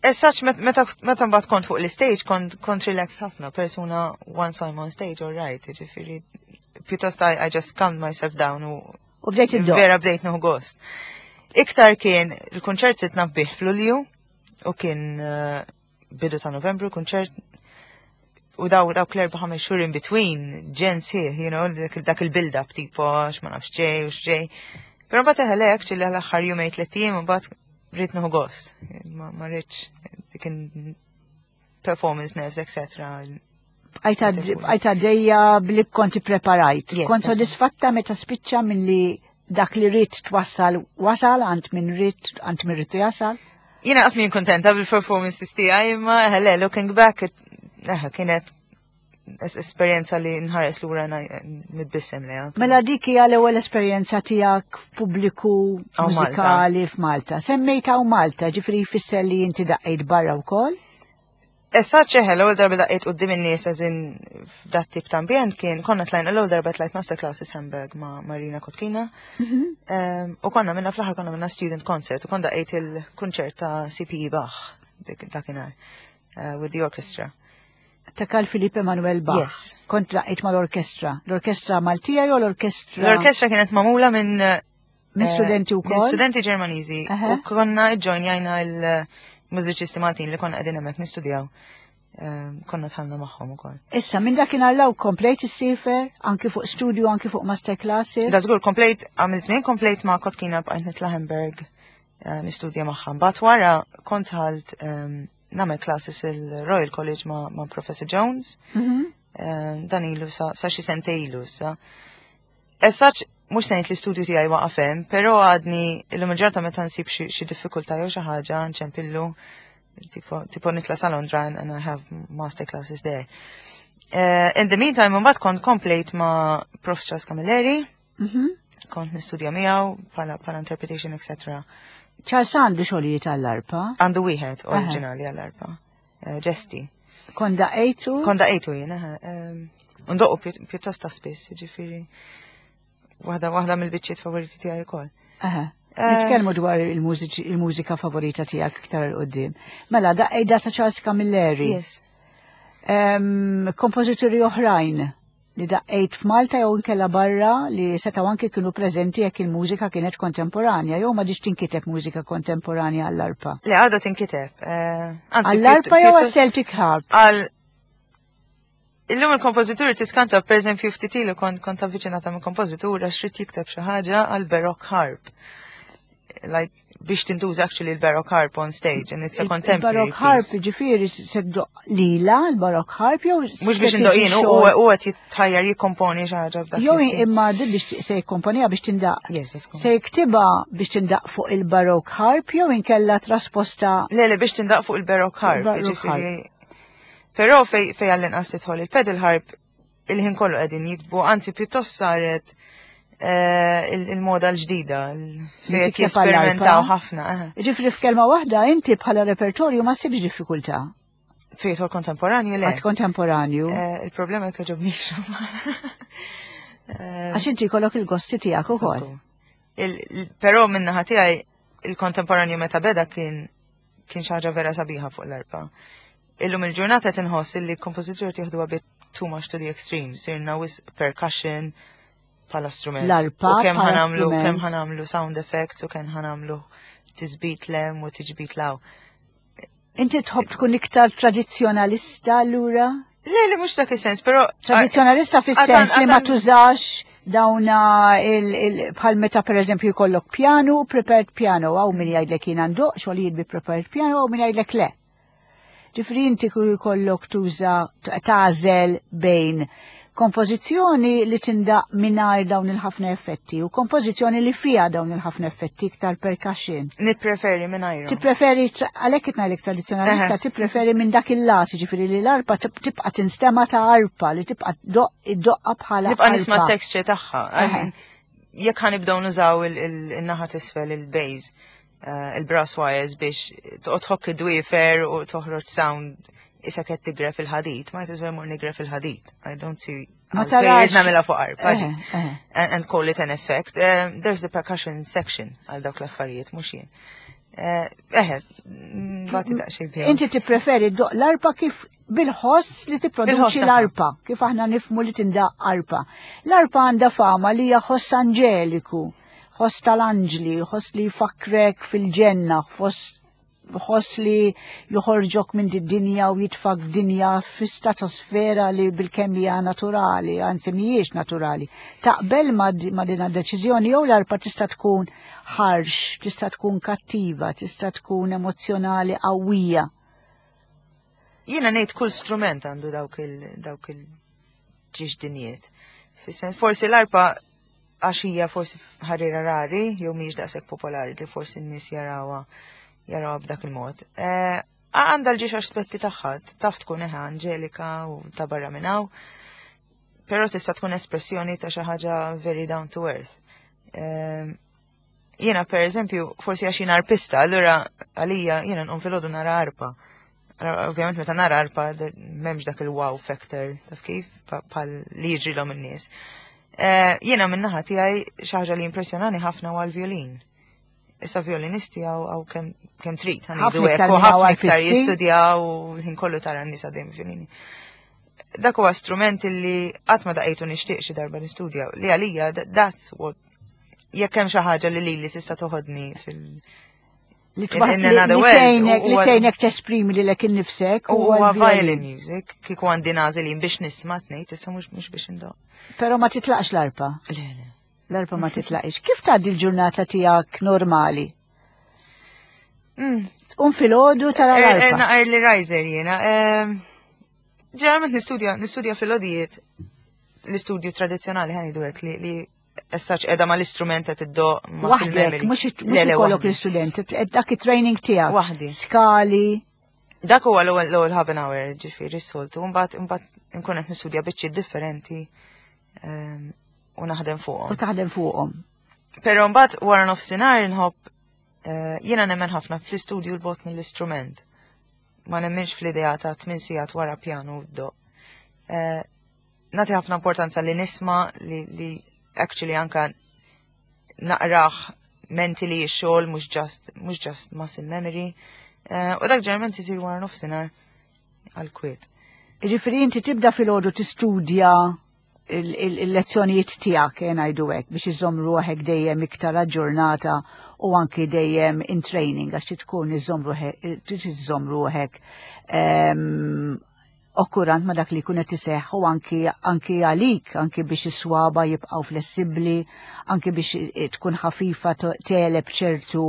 Essaċ meta meta mbagħad kont fuq l-stage kont kont relaxed ħafna, persuna once I'm on stage, all right, ġifieri pjuttost I, I just calmed myself down u U bdejt iddoqq. Vera bdejt nieħu gost. Iktar kien il-kunċert sirt naf bih f'Lulju u kien eh, bidu ta' Novembru kunċert u daw daw l-erba' ħames xhur in between ġens hi, you know, dak dak il-build up tipo għax ma nafx ġej u x'ġej. Però mbagħad eħelek ċilli l-aħħar jumejn tliet ijiem u mbagħad rrid nieħu gost. Ma ma rridx dik performance nerves, et cetera. Bqajt għaddejja bli konti preparajt. Yes, Kont that's sodisfatta meta spiċċa minn li dak li ridt twassal wasal għand min ridt għand min ridtu jasal? Jiena qatt min kontenta bil-performances tiegħi, imma ħele, looking back, it- eh, kienet es esperjenza li nħares lura na- nitbissem leha. Mela dik hija l-ewwel esperjenza tiegħek f'pubbliku Hawn Malta. mużikali f'Malta. Semmejta hawn Malta, ġifieri jfisser li inti daqqejt barra wkoll? Issa ċeħe, l-ewwel darba daqqejt quddiem in-nies as in f'dat tip ta' ambjent kien konna tlajna l-ewwel darba tlajt masterclasses Hamburg ma' Marina Kotkina. Em, U konna minna fl-aħħar konna minna student concert u konna daqqejt il-kunċert ta' C P E Bach dik- dakinhar uh, with the orchestra. Ta' Carl Philipp Emanuel Bach. Yes. Kont daqqejt mal-orkestra. L-orkestra Maltija jew l-orkestra L-orkestra kienet magħmula minn eh, minn studenti minn wkoll? studenti Ġermaniżi Aha. u konna ġojnjajna il-mużiċisti Maltin li konna qegħdin hemmhekk nistudjaw. Em, Konna dħalna magħhom ukoll. Issa, minn dakinhar 'l hawn komplejt issiefer, anki fuq studio, anki fuq masterclasses. Da żgur komplejt għamilt żmien komplejt ma' Kotkina bqajt nitla' Hamburg. eh, nistudja magħha. Mbagħad wara kont dħalt em, nagħmel classes il-Royal College ma', ma' Professor Jones. Mhm. Eh, dan ilu sa, sa xi sentejn ilu sa. As such, mhux se ngħid l-istudju tiegħi waqaf hemm, però għadni illum il-ġurnata meta nsib xi xi diffikultà jew xi ħaġa nċempillu tipo, tipo nitla' sa Londra and, and I have master classes there. Uh, in the meantime, mbagħad kont komplejt ma' Prof Charles Camilleri, Mhm. kont nistudja miegħu bħala bħala interpretation, et cetera Charles għandu xogħlijiet għall-arpa, Għandu wieħed oriġinali għall-arpa. Uh, Ġesti. Kont daqqejtu? Kont daqqejtu jien, eħe. Um, Ndoqqu pjut- pjuttost ta' spiss, ġifieri. Waħda waħda mill-biċċiet favoriti tiegħi wkoll. Aha. Eh, Nitkellmu dwar il-mużiċi- il-mużika favorita tiegħek iktar 'il quddiem. Mela, daqqejt ta' Charles Camilleri. Yes. Em, Kompożituri oħrajn li daqqejt f'Malta jew inkella barra li setgħu anke kienu preżenti jekk il-mużika kienet kontemporanja jew m'għadhiex tinkiteb mużika kontemporanja għall-arpa? Le, għadha tinkiteb. eh, Anzi, Għall-arpa jew pjuttost- għas-Celtic Harp? Għal Illum il-kompożituri tiskanta, per eżempju, ftit ilu kont kont avviċinata minn kompożitur għax ried jikteb xi ħaġa għal baroque harp. Like biex tintuża actually il-baroque harp on stage and it's a contemporary Il-Baroque harp, piece. ġifieri se ddoqq lila l-Baroque harp jew Mhux se biex tiġi indoq jien, u xogħol- u qed jitħajjar jikkomponi xi ħaġa b'dak Jew l-istil. imma din biex se jikkomponija biex tindaq. Yes, that's cool. Se jiktibha biex tindaq fuq il-Baroque harp jew inkella trasposta? Le, le, biex tindaq fuq il-baroque harp, Il-baroque. Ġifieri. Però fej fej għall-inqas tidħol il-pedal harp, il-ħin kollu qegħdin jiktbu, anzi pjuttost saret eh, il- il-moda l-ġdida, il- Li fejn qed tikteb jesperimentaw għall-arpa? ħafna. eh. Ġifieri f'kelma waħda inti bħala repertorju ma ssibx diffikultà. Fejn jidħol kontemporanju, le. Għad kontemporanju. Eh, Il-problema jekk jogħġobnix. Eh, Għax inti jkollok il-gosti tiegħek ukoll. Il- il- Però min-naħa tiegħi il-kontemporanju meta beda kien kien xi ħaġa vera sabiħa fuq l-arpa. Illum il-ġurnata tinħoss illi kompożitur tieħdu a bit too much to the extreme, sirna wisq percussion bħala strument. L-arpa U kemm bħala ħa nagħmlu strument. Kemm ħa nagħmlu sound effects u kemm ħa nagħmlu tisbit 'l hemm u tiġbit 'l hawn. Inti tħobb tkun iktar tradizzjonalista allura? Le, le, mhux dak is-sens, però Tradizzjonalista fis-sens li ma għatan- tużax dawna il, il, bħal meta per eżempju jkollok piano, prepared piano, hawn min jgħidlek jiena ndoqq xogħlijiet bi prepared piano, hawn min jgħidlek le. Ġifieri inti ku jkollok tuża tagħżel bejn kompożizzjoni li tindaq mingħajr dawn il-ħafna effetti u kompożizzjoni li fija dawn il-ħafna effetti, iktar percussion. Nippreferi mingħajru. Tippreferi, għalhekk qed ngħidlek tradizzjonalista, Eħe. tippreferi minn dak il-lat, ġifieri li l-arpa tib- tibqa' tinstema ta' arpa, li tibqa' doq id-doqqa bħala Nibqa' nisma' arpa. texture tagħha. I Eħe. mean, jekk ħa nibdew nużaw il- il- il-naħa t'isfel, il-bass, eh, il-brass wires biex toqgħod tħokk id-dwiefer u toħroġ sound issa qed tigref il-ħadid, ma jtiswer mur nigref il-ħadid. I don't see Ma għalfejn tarax- irrid nagħmilha fuq arpa. Eħe, eħe. And, and call it an effect. Um, there's the percussion section għal dawk l-affarijiet, mhux jien. Eh, Eħe, bati daqsxejn bihom. Inti tippreferi ddoqq l-arpa kif bil-ħoss li tipproduċi Bil-ħoss tagħha. l-arpa, kif aħna nifhmu li tindaq arpa. L-arpa għandha fama li hija ħoss anġeliku, ħoss tal-anġli, ħoss li jfakkrek fil-ġenna, ħoss ħoss li joħorġok minn dinja u jitfak f'dinja fi stratosfera li bil-kemm hija naturali, anzi mhijiex naturali. Taqbel ma, di- ma din deċiżjoni jew l-arpa tista' tkun harsh, tista' tkun kattiva, tista' tkun emozjonali qawwija? Jiena ngħid kull strument għandu dawk il dawk il-ġiex dinjiet. Fis-sens forsi l-arpa għax hija forsi ħarira rari jew mhijiex daqshekk popolari li forsi n-nies jarawha jarawha b'dak il-mod. Eh, Għandha l-ġiex aspetti tagħha, taf tkun eħe anġelika u ta' barra minn hawn, però tista' tkun espressjoni ta' xi ħaġa very down to earth. Eh, Jiena per eżempju, forsi għax jiena arpista, allura għalija jiena nqum filgħodu nara arpa. Allora, ovvjament meta nara arpa m'hemmx dak il-wow factor, taf kif? Pa- Pal li jiġrilhom in-nies. Eh, Jiena min-naħa tiegħi xi ħaġa li impressjonani ħafna huwa l-violin. Issa violinisti hawn hawn kemm kemm trid, Ħafna ħa ngħidu iktar hekk, u minn hawn ħafna iktar arpisti. jistudjaw u l-ħin kollu tara n-nies għaddejjem violini. Dak huwa strument li qatt ma daqejtu nixtieq xi darba nistudja li għalija that- that's what jekk hemm xi ħaġa li lili tista' toħodni fil Li In- twa- in li- another li world, tgħinek u- li u- tgħinek tesprimi lilek innifsek U huwa l-violin. violin music, kieku għandi nagħżel jien biex nisma' tnejn, issa mhux mhux biex indoq. Però ma titlaqx l-arpa. Le, le. L-arpa ma titlaqx. Kif tgħaddi l-ġurnata tiegħek normali? Mm. Tqum filgħodu tara Er- l-arpa. Erna early riser jiena. Ehm, Ġeneralment nistudja, nistudja filgħoxijiet l-istudju tradizjonali ħa ngħidu hekk li li essaċ edha ma l-istrument qed iddoqq ma Waħdek, fil-memory. mhux Le, le, ikollok waħdi. l-istudenti, dak it-training tiegħek. Waħdi. Skali. Dak huwa l-ewwel l-ewwel half an hour ġifieri s-soltu, mbagħad imbagħad nkun qed nistudja biċċiet differenti ehm, u naħdem U fuqhom. taħdem fuqhom. Però mbagħad wara nofsinhar nħobb eh, jiena nemmen ħafna fl-istudju 'l bogħod mill-istrument. Ma nemminx fl-idea ta' tmien sigħat wara pjanu ddoqq. Eh, Nagħti ħafna importanza li nisma' li, li actually anka naqrah mentally x-xogħol mhux just mhux just muscle memory. Eh, U dak ġeneralment isir wara nofsinhar għal kwiet. Ġifieri inti tibda filgħodu tistudja il- il- il-lezzjonijiet tiegħek eh, ngħidu hekk biex iżomm ruħek dejjem iktar aġġornata u anki dejjem in training għax trid tkun iżomm ruħek trid iżomm ruħek ehm, okkurant ma dak li jkun qed iseħħ u anki anki għalik, anki biex is-swaba jibqgħu flessibbli, anki biex i- tkun ħafifa to- tegħleb ċertu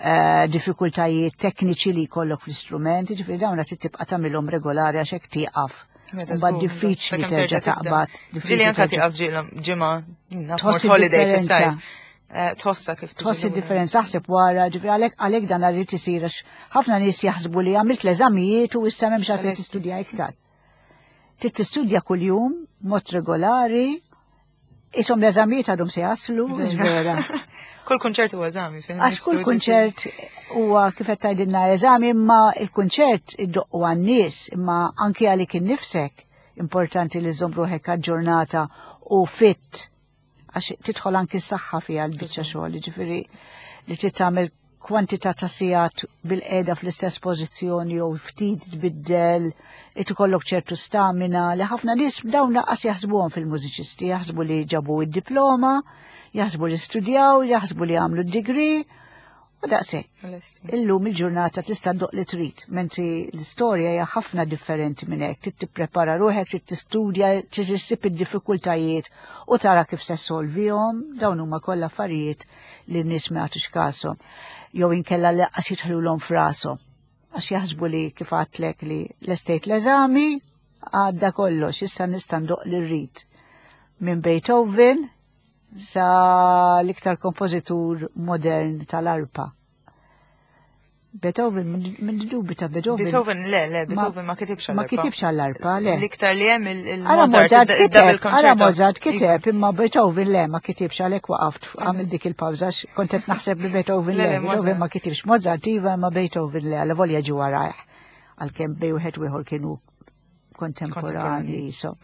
eh, diffikultajiet tekniċi li jkollok fl-istrument, ġifieri dawn qed tibqa' tagħmilhom regolari għax hekk tieqaf. Meta Mbagħad żgur, diffiċli sakemm terġa' terġa' tibda. taqbad. Ġieli diffiċli anka terġa' tieqaf ġiela ġimgħa, naf Tħoss mort holiday id-differenza. fis-sajf. Eh, Tħossa kif tiġi Tħoss lura. id-differenza aħseb wara, ġifieri għalhekk għalhekk dan irid isir għax ħafna nies jaħsbu li għamilt l-eżamijiet u issa m'hemmx għalfejn Celesti. tistudja iktar. Trid tistudja kuljum mod regolari, isom l-eżamijiet għadhom se jaslu, vera. Kull kunċert huwa eżami. fih Għax nifsu, kull ġifieri. kunċert huwa kif qed tgħidilna eżami, imma il-kunċert iddoqqu għan-nies, imma anki għalik innifsek importanti li żżomm ruħek aġġornata u fit għax tidħol anki s-saħħa fiha l-biċċa xogħol, ġifieri li trid tagħmel kwantità ta' sigħat bil-qiegħda fl-istess pożizzjoni jew ftit tbiddel, ikollok ċertu stamina li ħafna nies dawn lanqas jaħsbuhom fil-mużiċisti, jaħsbu li ġabu id-diploma, jaħsbu li studjaw, jaħsbu li għamlu d-degree, u daqshekk. Lesti. Illum il-ġurnata tista' ddoqq li trid, mentri l-istorja hija ħafna differenti minn hekk. Trid tipprepara ruħek, trid tistudja, trid issib id-diffikultajiet u tara kif se solvihom, dawn huma kollha affarijiet li n-nies ma jagħtux kashom. Jew inkella lanqas jidħlulhom f'rashom. Għax jaħsbu li kif għedtlek li lestejt l-eżami, għadda kollox, issa nista' ndoqq li rrid. Minn Beethoven sa l-iktar kompożitur modern tal-arpa. Beethoven, minn dubi ta' Beethoven. Beethoven, le, le, Ma- Beethoven ma kitibx Ma għall-arpa. kitibx għall-arpa, le. L-iktar li hemm Ara il-Mozart, Mozart il-double kiteb, ara concerto. Mozart kiteb, imma Beethoven le, ma kitibx għalhekk waqaft għamil dik il-pawża, kont qed naħseb li Beethoven Le, le, le, Beethoven Mozart. ma kitibx. Mozart iva, ma Beethoven le, għal volja ġu warajh. Għalkemm bejn wieħed u ieħor kienu kontemporani, so.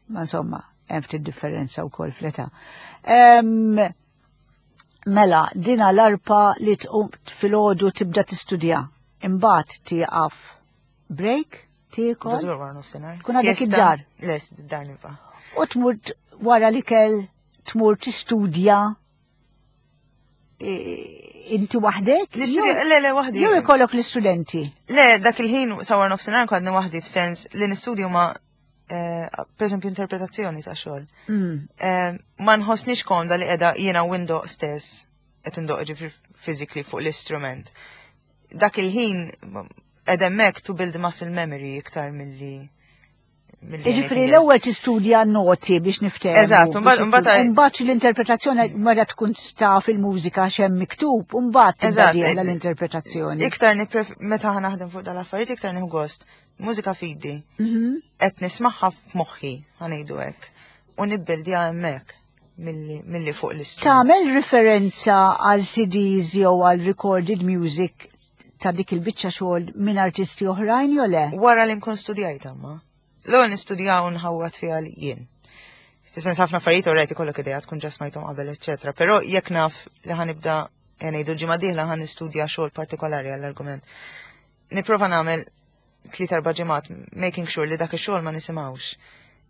Ma insomma, hemm ftit differenza wkoll fl-età. Em, Mela, dina l-arpa li tqum filgħodu tibda tistudja. Imbagħad tieqaf break, tiekol, Żgur wara nofsinhar. Kun għadek Siesta. id-dar. Le, id-dar nibqa'. U tmur t- wara l-ikel tmur tistudja e, inti waħdek? L-istudja, Jew- le, le, waħdi. Jew ikollok l-istudenti. Le, dak il-ħin sa wara nofsinhar kont waħdi f'sens li nistudju ma eh, per eżempju interpretazzjoni ta' xogħol. Mm. Eh, Ma nħossnix komda li qiegħda jiena u ndoqq stess qed indoqq ġifieri physically fuq l-istrument. Dak il-ħin qed hemmhekk to build muscle memory iktar milli milli Ġifieri anything else. l-ewwel tistudja noti biex niftehmu. Eżatt, mbagħad- mbagħad- Mbagħad l-interpretazzjoni meta tkun taf il-mużika x'hemm miktub, u mbagħad tibda Eżatt, dieħla l-interpretazzjoni. Iktar nipref meta ħa naħdem fuq dal-affarijiet iktar nieħu gost. Mużika f'idi. Mhm. Qed nismagħha f'moħħi, ħa ngħidu hekk. U nibbildja hemmhekk milli milli fuq l-istrument. Tagħmel referenza għal C Ds jew għal recorded music ta' dik il-biċċa xogħol minn artisti oħrajn jew le? Wara li nkun studjajt amma. L-ewwel nistudjaw u nħawwad fiha li jien. Fis-sens ħafna affarijiet already kollok idea tkun ġa smajthom qabel, eċċetera. Però jekk naf li ħa nibda ngħidu l-ġimgħa dieħla ħa nistudja xogħol partikolari għall-argument. Nipprova nagħmel tliet erba' ġimgħat making sure li dak ix-xogħol ma nisimgħux.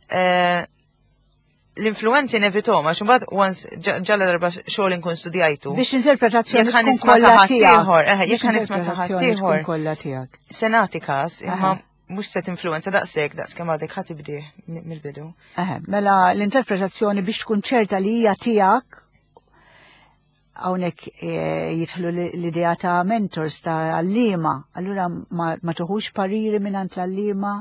Eh, L-influenzi nevitahom, għax imbagħad once ġalla darba xogħol inkun studjajtu. Biex l-interpretazzjoni Jekk ħa tkun nisma' ta' kollha tiegħek. ħaddieħor, eh, jekk Biex ħa nisma' ta' l-interpretazzjoni tkun ħaddieħor. kollha tiegħek. Se nagħti kas, imma Aha. mhux se tinfluenza daqshekk daqs kemm għadek ħa tibdih mill-bidu. Eħe, mela l-interpretazzjoni biex tkun ċerta li hija tiegħek Hawnhekk eh, jidħlu l-idea ta' mentors ta' għalliema, allura ma, ma tuħux pariri mingħand l-għalliema?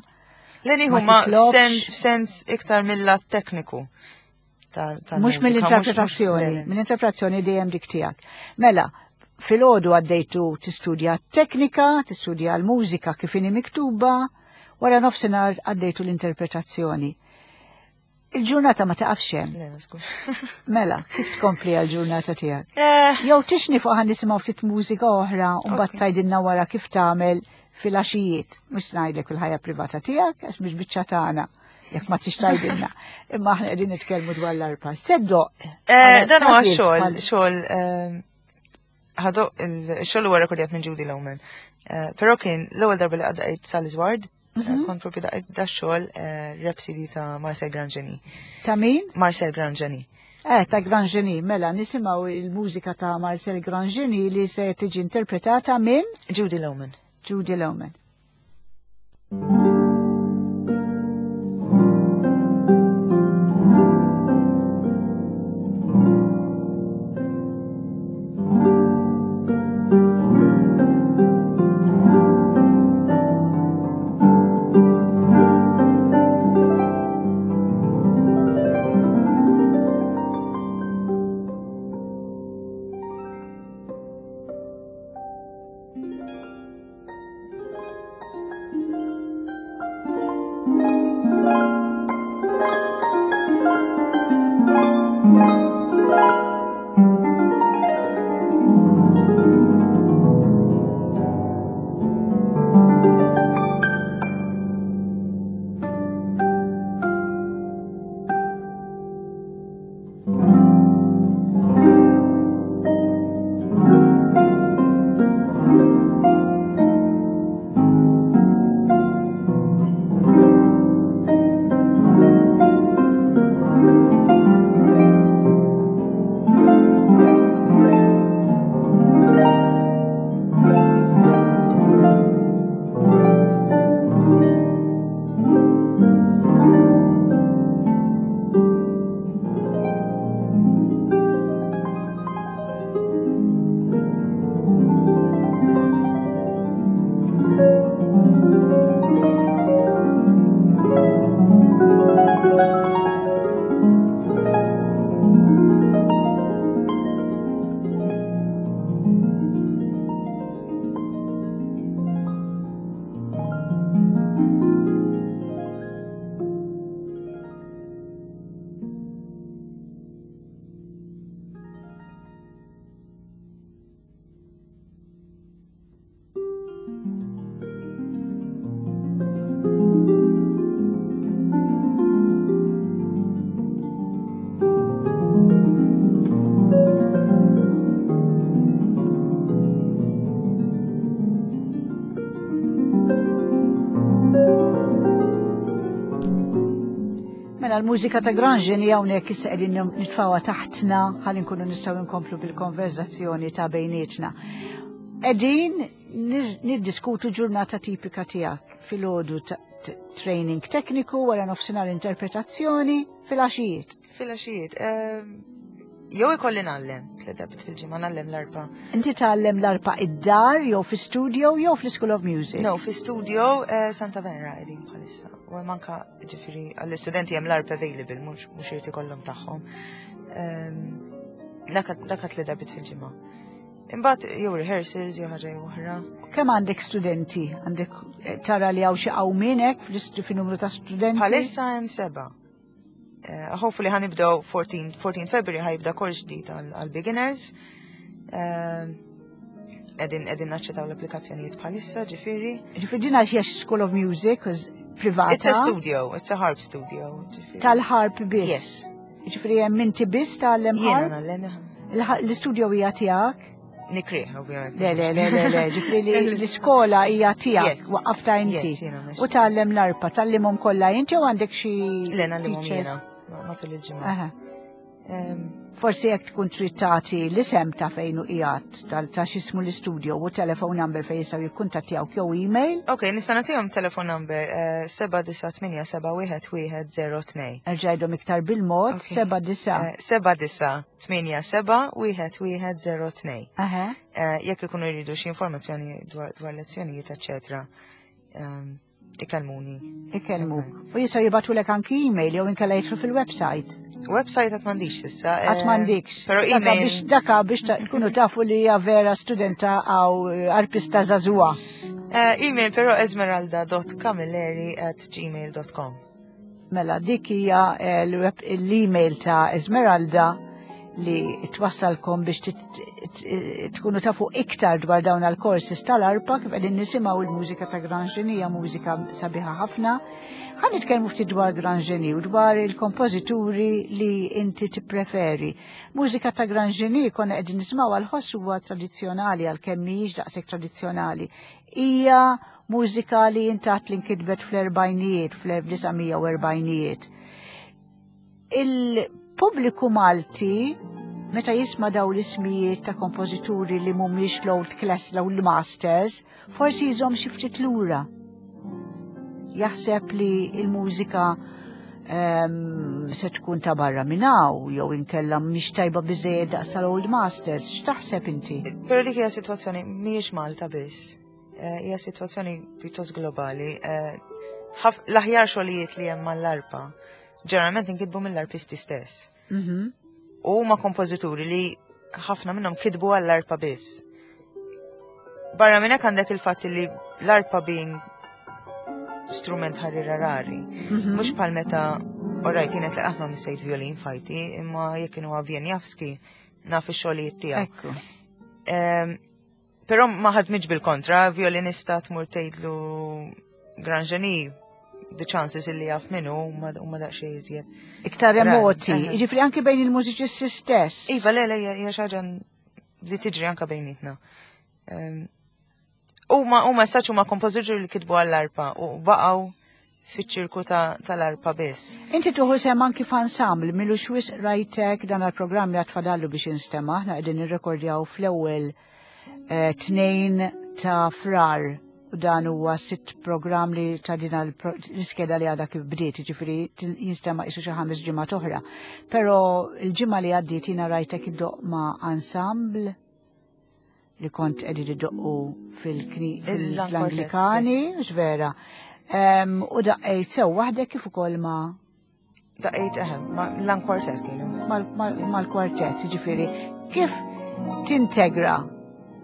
Le nieħu ma f'sens iktar mill-lat tekniku. Mhux mill-interpretazzjoni, mill-interpretazzjoni dejjem dik tiegħek. Mela, filgħodu għaddejtu tistudja teknika, tistudja l-mużika kif inhi miktuba, wara nofsinhar għaddejtu l-interpretazzjoni. Il-ġurnata ma taqafx hemm. Mela, kif tkompli għal-ġurnata tiegħek? Eh. Jew tixni fuq ħan nisimgħu ftit mużika oħra u mbagħad tgħidilna wara kif tagħmel fil-għaxijiet. Mhux ngħidlek il-ħajja privata tiegħek għax mhix biċċa tagħna jekk ma tix tgħidilna. Imma aħna qegħdin nitkellmu dwar l-arpa. Seddoq. Eh, dan huwa xogħol, xogħol ehm, ħadoq il-xogħol huwa rekordjat minn Judy Lowman. Eh, però kien l-ewwel darba li għaddejt Sally Ward. Mhm. Kont propju da xogħol eh, Rhapsody ta' Marcel Grandgenie. Ta' min? Marcel Grandgenie. Eh, ta' Grandgenie, mela nisimgħu il-mużika ta' Marcel Grandgenie li se tiġi interpretata minn Judy Lowman. Judy Lowman. L-mużika ta' Grandgenie hawnhekk issa qegħdin nitfgħuha taħtna ħalli nkunu nistgħu nkomplu bil-konverzazzjoni ta' bejnietna. Qegħdin niddiskutu ġurnata tipika tiegħek filgħodu training tekniku wara nofsinhar interpretazzjoni fil-għaxijiet. Fil-għaxijiet. Jew ikolli ngħallem, tliet darbiet fil-ġimgħa ngħallem l-arpa. Inti tgħallem l-arpa id-dar jew fi studio jew fl-School of Music? No, fi studio Santa Venera qegħdin bħalissa. U hemm anka ġifieri għall-istudenti hemm l-arpa available, mhux mhux irid ikollhom tagħhom. Dak tliet darbiet fil-ġimgħa. Imbagħad jew rehearsals jew ħaġa jew oħra. Kemm għandek studenti? Għandek tara li hawn xi qawmien hekk fin-numru ta' studenti? Bħalissa hemm seba'. Hopefully ħanibdew fourteen February ħajibda kors ġdid għal beginners. Qegħdin qegħdin naċċettaw l-applikazzjonijiet bħalissa, ġifieri. Ġifieri din għax hija School of Music privata. It's a studio, it's a harp studio. Tal-harp biss. Yes. Ġifieri hemm inti biss tgħallem harp? Jiena ngħallem. L-istudio hija tiegħek? Nikrih, ovvjament. Le, le, le, le, le, ġifieri l-iskola hija tiegħek, waqqafta inti. U tgħallem l-arpa, tgħallimhom kollha inti u għandek xi Le, ngħallimhom jiena matul il-ġimgħa. Em, Forsi jekk tkun trid tagħti l-isem ta' fejn hu qiegħed tal ta' x'ismu l-istudio u telephone number fejn jistgħu jikkuntattjawk jew email. Ok, nista' nagħtihom telephone number eh, seba' disa' tmienja seba' wieħed wieħed zero tnejn. Erġa' għidhom iktar bil-mod, Ok. seba' disa'. Eh, seba' disa' tmienja seba' wieħed wieħed zero tnejn. Aha. Eh, Jekk ikunu jridu xi informazzjoni dwar dwar lezzjonijiet, eċċetera, ehm, ikellmuni. Ikellmuk. U jistgħu jibagħtulek anki email jew inkella jidħlu fil-website. Website għad m'għandix s'issa. eh, Għad m'għandikx. Pero Daka email. biex daka biex ta- tkunu tafu li hija vera studenta għaw arpista żagħżugħa. Eh, email pero esmeralda dot camilleri at gmail dot com. Mela dik hija eh, l-web- l-email ta' Esmeralda li twassalkom biex tit- t- tkunu tafu iktar dwar dawn għal-courses tal-arpa. Kif qegħdin nisimgħu, il-mużika ta' Grand Genie hija mużika sabiħa ħafna. Ħa nitkellmu ftit dwar Grand Genie u dwar il-kompożituri li inti tippreferi. Mużika ta' Grand Genie konna qegħdin nisimgħu għal-ħoss huwa tradizzjonali, għalkemm mhijiex daqshekk tradizzjonali. Hija mużika li intat li nkitbet fl-erbgħinijiet, fl-elf disa' mija u erbgħinijiet. Il-pubbliku Malti meta jisma' daw l-ismijiet ta' kompożituri li mhumiex l-old class, l-old masters, forsi jżomm xi ftit lura. Jaħseb li il-mużika um, se tkun ta' barra minn hawn jew inkella mhix tajba biżejjed daqs tal-old masters. X'taħseb inti? Pero dik hija sitwazzjoni mhijiex Malta biss. Eh, Hija sitwazzjoni pjuttost globali. Eh, ħaf- L-aħjar xogħlijiet li hemm mal-arpa ġeneralment inkitbu mill-arpisti stess. Mhm. U huma kompożituri li ħafna minnhom kitbu għall-arpa biss. Barra minn hekk għandek il-fatt li l-arpa being strument ħarira rari. Mhm. Mhux bħal meta, alright, jien qed qatt ma missejt violin f'ħajti, imma jekk kienu Wieniawski naf ix-xogħlijiet tiegħu. Ekku. Ehm, Però ma ħadmitx bil-kontra, violinista tmur tgħidlu Grand Genie, the chances illi jaf minnu huma huma daqsxejn iżjed. Iktar remoti, Aha. jiġifieri anki bejn il-mużiċisti stess. Iva, le, le, hija hija xi ħaġa li tiġri anka bejnietna. Ehm, Huma huma saċ huma kompożituri li kitbu għall-arpa u baqgħu fiċ-ċirku ta- tal-arpa biss. Inti tieħu sehem anki f'ensemble, m'ilux wisq rajtek. Dan għal-programm li għad fadallu biex jinstema', aħna qegħdin nirrekordjaw fl-ewwel eh, tnejn ta' Frar u dan huwa sitt programm li ta' din l-iskeda li għadha kif bdiet, ġifieri jinstema' qisu xi ħames ġimgħat oħra. Però il-ġimgħa li għaddiet jiena rajtek iddoqq ma' ensemble li kont qegħdin iddoqqu fil-Anglikani, vera. Em, U daqqejt sew waħdek kif ukoll ma' Daqqejt eħem, ma l kwartet kienu. mal- mal- mal-kwartet, ġifieri, kif tintegra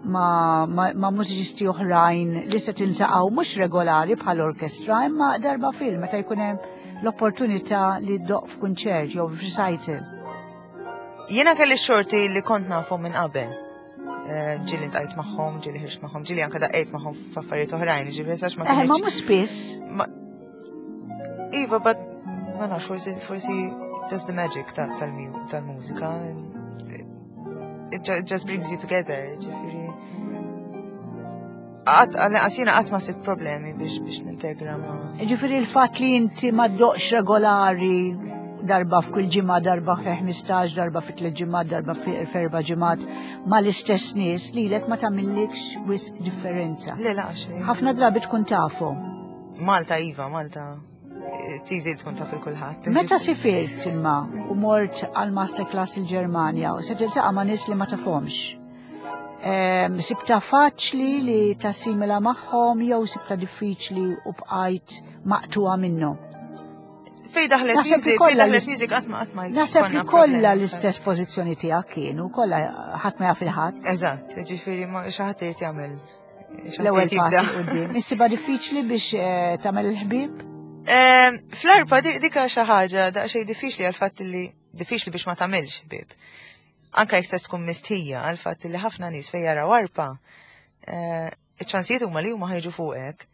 ma, ma, ma mużiċisti oħrajn li se tiltaqgħu mhux regolari bħal orkestra imma darba fil meta jkun hemm l-opportunità li ddoqq f'kunċert jew f'recital? Jiena kelli xorti li kont nafhom minn qabel. Eh, Ġieli ltqajt magħhom, ġieli ħriġt magħhom, ġieli anka daqqejt magħhom f'affarijiet oħrajn, ġifieri sax ma Eh, ma kienx. mhux spiss. Ma- Iva, but ma nafx, forsi forsi that's the magic ta- tal-mu- tal-mużika. It, it ju- just brings you together, ġifieri. Għat, għasina qatt ma sibt problemi biex biex nintegra ma. Ġifieri il-fatt li inti ma ddoqqx regolari darba f'kull ġimgħa, darba fi ħmistax, darba fi tliet ġimgħat, darba fi f'erba' ġimgħat ma l-istess nies lilek ma tagħmillikx wisq differenza. Le, la, xejn. Ħafna drabi tkun tafhom. Malta, Iva, Malta. It's easy li tkun taf il-kulħadd. Meta sifirt imma u mort għal masterclass il-Ġermanja u se tiltaqa' ma' nies li ma tafhomx. Em, Sibta faċli li tassimila magħhom jew sibta diffiċli u bqajt maqtuha minnhom? Fej daħlet Naħseb li music, fej kollha daħlet l- music qatt ma qatt ma Naħseb li konna kollha problemi. l-istess pożizzjoni tiegħek kienu, kollha ħadd ma jaf il-ħadd. Eżatt, ġifieri ma xi ħadd irid jagħmel. Xi ħadd L-ewwel irid jibda. pass 'il quddiem. Issibha diffiċli biex eh, tagħmel il-ħbieb? Ehm, Fl-arpa di- dika xi ħaġa daqsxejn diffiċli għal fatt li diffiċli biex ma tagħmilx ħbieb. Anka jekk se tkun mistħija għal fatt li ħafna nies fejn jaraw arpa, eh, iċ-ċansijiet huma li huma ħa jiġu fuqek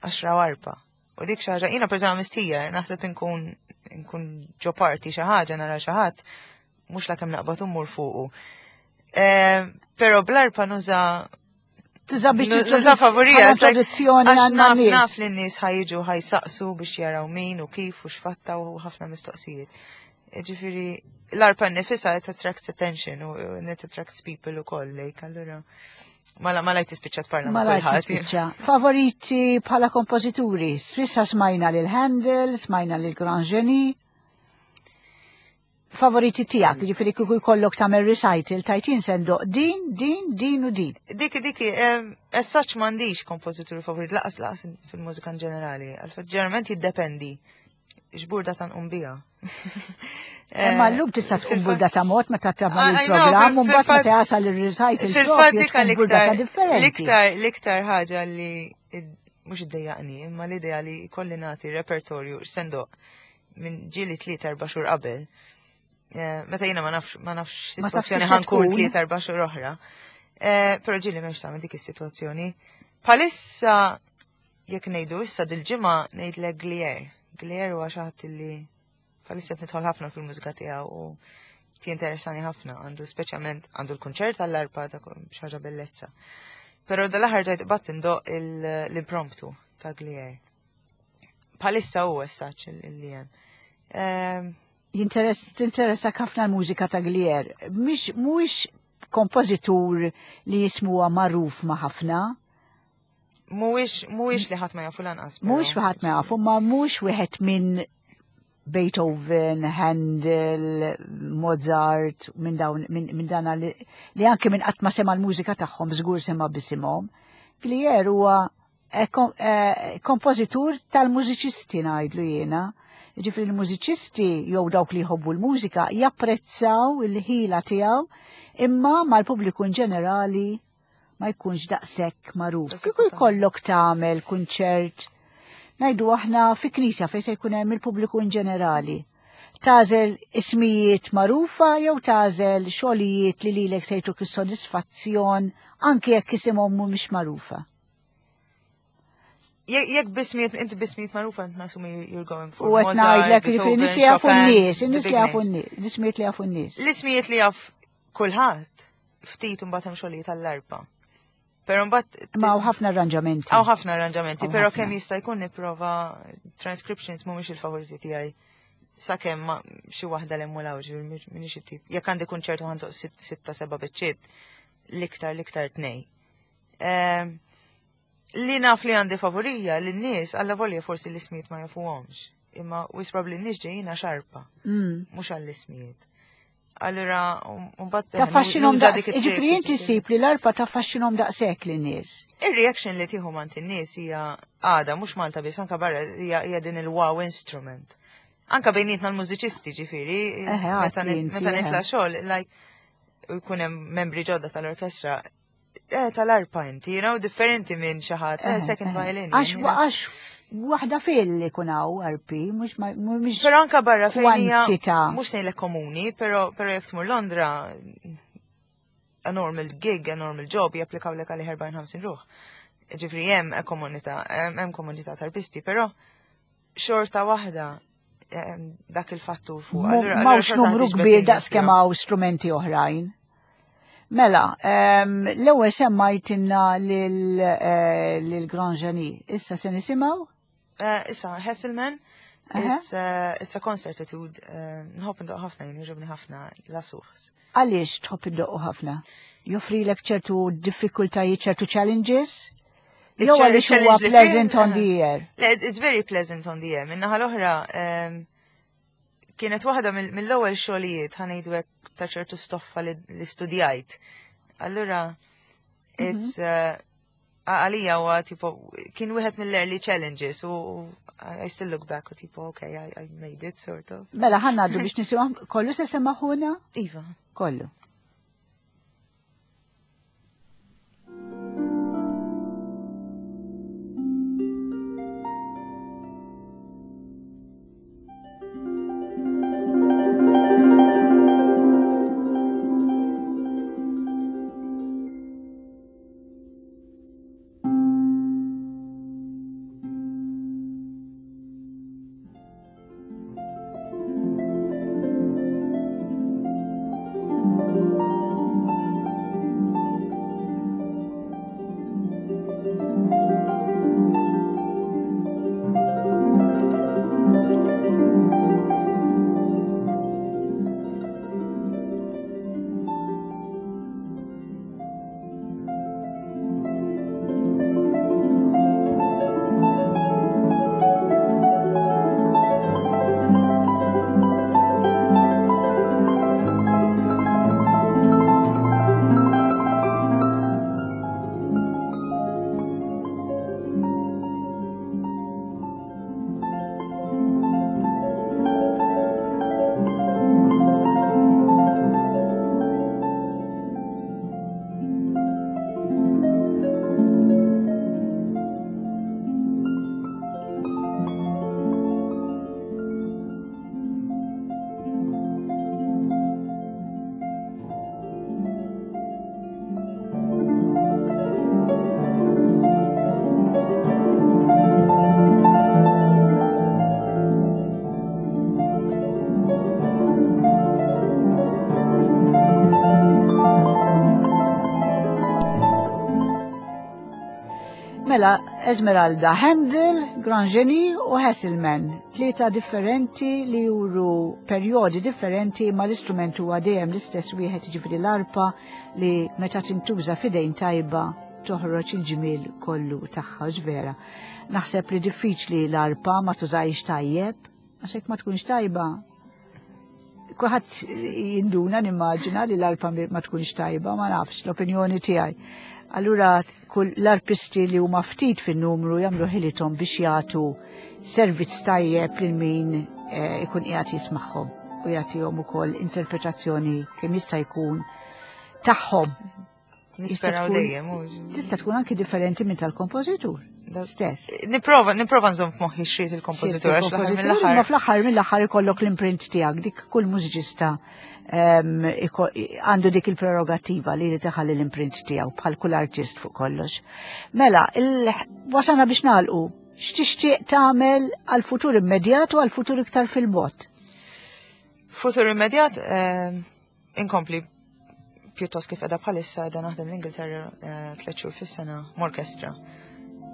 għax raw arpa. U dik xi ħaġa, jiena pereżempju mistħija, naħseb inkun inkun ġo party xi ħaġa nara xi ħadd, mhux la kemm naqbad immur fuqu. Ehm, Però bl-arpa nuża Tuża biex Nuża favorija, bħala introduzzjoni għax għandna naf nies. naf li n-nies ħa jiġu ħa jsaqsu biex jaraw min u kif u x'fatta u ħafna mistoqsijiet. Ġifieri l-arpa nifisha it attracts attention u it attracts people ukoll lejk, allura mala mala tispiċċa tparla ma' Mala kulħadd. tispiċċa. Favoriti bħala kompożituri? S'issa smajna lil Handel, smajna lil Grand Genie. Favoriti tiegħek, ġifieri kieku jkollok tagħmel recital tajtin sendoq din, din, din u din. Dik, dik, as such m'għandix kompożituri favorit, lanqas lanqas fil-mużika in ġenerali. Għalfejn ġeneralment jiddependi. X'burda ta' nqum biha. Imma llum tista' tkun burda ta' mod meta tagħmel I know, il-programm u mbagħad fil-fatt- meta jasal ir-recital Fil-fatt propju dik tkun burda ta' l-iktar, differenti. l-iktar, l-iktar ħaġa li id- mhux iddejjaqni, imma l-idea li kolli nagħti repertorju sendoq minn ġieli tlieta erba' xhur qabel. Eh, Meta jiena ma nafx ma nafx Ma tafx sitwazzjoni kif se ħa nkun tkun. tlieta erba' xhur oħra. Eh, Però ġieli m'hemmx tagħmel dik is-sitwazzjoni. Bħalissa jekk ngħidu issa dil-ġimgħa ngħidlek Glier. Glier huwa xi ħadd li bħalissa qed nidħol ħafna fil-mużika tiegħu u ti interessani ħafna, għandu speċjalment għandu l-kunċert għall-arpa ta' xi ħaġa bellezza. Però dal-aħħar ġajt bat indoq l-impromptu ta' Glier. Bħalissa hu essaċ li hemm. Ehm, Jinteress tinteressak ħafna l-mużika ta' Glier. Mhix mhuwiex kompożitur li jismuha magħruf ma' ħafna. Mhuwiex mhuwiex li ħadd ma jafu lanqas. però. Mhux ħadd ma jafu, ma mhux wieħed minn Beethoven, Handel, Mozart, minn dawn minn min dana li, li anke minn qatt ma sema l-mużika tagħhom żgur sema bisimhom. Glier huwa eh, kom, eh, kompożitur tal-mużiċisti ngħidlu jiena. Ġifieri l-mużiċisti jew dawk li jħobbu l-mużika japprezzaw il-ħila tiegħu imma mal-pubbliku in ġenerali ma jkunx daqshekk magħruf. Daqshekk Kieku jkollok tagħmel kunċert ngħidu aħna fi knisja fejn se jkun hemm il-pubbliku in ġenerali. Tagħżel ismijiet magħrufa jew tagħżel xogħlijiet li lilek se jtuk is-sodisfazzjon anke jekk isimhom mhumiex magħrufa. Jekk jekk b'ismijiet, inti b'ismijiet magħrufa int nasumi you're going for U qed Mozart, ngħidlek li Beethoven, nies li jafu Chopin, n-nies, the in-nies big li jafu names. n-nies, l-ismijiet li jafu n-nies. L-ismijiet li jaf kulħadd ftit imbagħad hemm xogħlijiet tal-arpa. Però mbagħad Ma hawn ħafna arranġamenti. Hawn ħafna arranġamenti, Hawn però ħafna. kemm jista' jkun nipprova transcriptions mhumiex il-favoriti tiegħi. Sakemm ma xi waħda l hemm ġifieri m'iniex it-tip. Jekk għandi kunċertu ħa ndoqq sitt- sitta seba' biċċiet, l-iktar l-iktar tnej. Ehm, Li naf li għandi favorija li n-nies alla volja forsi l-ismijiet ma jafuhomx. Imma wis probably n-nies ġejjin għax arpa, Mm. mhux għall-ismijiet. Allura, mbagħad Taffaxxinom nuża daqs, dik it-trick, ġifieri inti ġifieri. ssib li l-arpa taffaxxinom daqshekk lin-nies. Ir-reaction li tieħu mant in-nies hija għada mhux Malta biss anka barra hija hija din il-wow instrument. Anka bejnietna l-mużiċisti ġifieri, Eħe, meta għati nit- inti, meta eħe. nitla' xogħol, like u jkun hemm membri ġodda tal-orkestra, eh tal-arpa inti, you know, differenti minn xi ħadd, eh, Eħe, second eħe. violin. Għax you know. għax waħda fil li kun hawn arpi, mhux ma- mhux Però anka barra fejn hija kwantità. mhux ngħidlek komuni, però però jekk tmur Londra a normal gig, a normal job, japplikaw lek għal erbgħin ħamsin ruħ. Ġifieri hemm komunità, hemm hemm komunità tarpisti, però xorta waħda em, dak il-fattur fuq. Allura- allura M'hawnx xorta numru ħa tiġbed kbir in-nies daqs kemm però. hawn strumenti oħrajn. Mela, em, l-ewwel semmajtinna lil eh, lil Grand Genie. Issa se nisimgħu? Eh, Issa, Hesselman, Aha. it's, uh, it's a concert etude, uh, nħobb ndoq ħafna, jien jogħġobni ħafna La Source. Għaliex tħobb iddoqqu ħafna? Joffrilek ċertu diffikultajiet, ċertu challenges? Jew Il-challenge għaliex huwa li pleasant fih, on the eh, ear? Le, it's very pleasant on the ear. Minnaħa l-oħra, em, kienet waħda mill- mill-ewwel xogħlijiet ħa ngħidu hekk ta' ċertu stoffa li, li studjajt. Allura, it's uh, għalija huwa tipo kien wieħed mill-early challenges u u I still look back u tipo okay, I, I made it sort of. Mela ħa ngħaddu biex nisimgħu kollu se semmaħuna? Iva. Kollu. Thank Mela, Esmeralda, Handel, Grand Genie u Hasselmann. Tlieta differenti li juru perjodi differenti, ma l-istrument huwa dejjem l-istess wieħed, ġifieri l-arpa, li meta tintuża f'idejn tajba toħroġ il-ġmiel kollu tagħha vera. Naħseb li diffiċli l-arpa ma tużajx tajjeb, għax hekk ma tkunx tajba. Kulħadd jinduna, nimmaġina, li l-arpa ma tkunx tajba, ma nafx, l-opinjoni tiegħi. Allura kull l-arpisti li huma ftit fin-numru jagħmlu ħilithom biex jagħtu servizz tajjeb lil min eh, ikun qiegħed jismagħhom u jagħtihom ukoll interpretazzjoni kemm jista' jkun tagħhom. Nisperaw tkun- dejjem. u- Tista' tkun anki differenti minn tal-kompożitur Da- stess. Niprova, niprova nżomm f'moħħi x'ried il-kompożitur, għax l-aħħar Ma mill-aħħar. fl-aħħar mill-aħħar ikollok l-imprint tiegħek, dik kull mużiċista em, iko- għandu dik il-prerogativa li li taħalli l-imprint tiegħu bħal kull artist fuq kollox. Mela, il- wasalna biex nagħlqu, x'tixtieq tagħmel għal-futur immedjat u għal-futur iktar fil-bogħod? Futur immedjat, eh, inkompli pjuttost kif qiegħda bħalissa, qiegħda naħdem l-Ingilterra eh, tliet xhur fis-sena m'orkestra.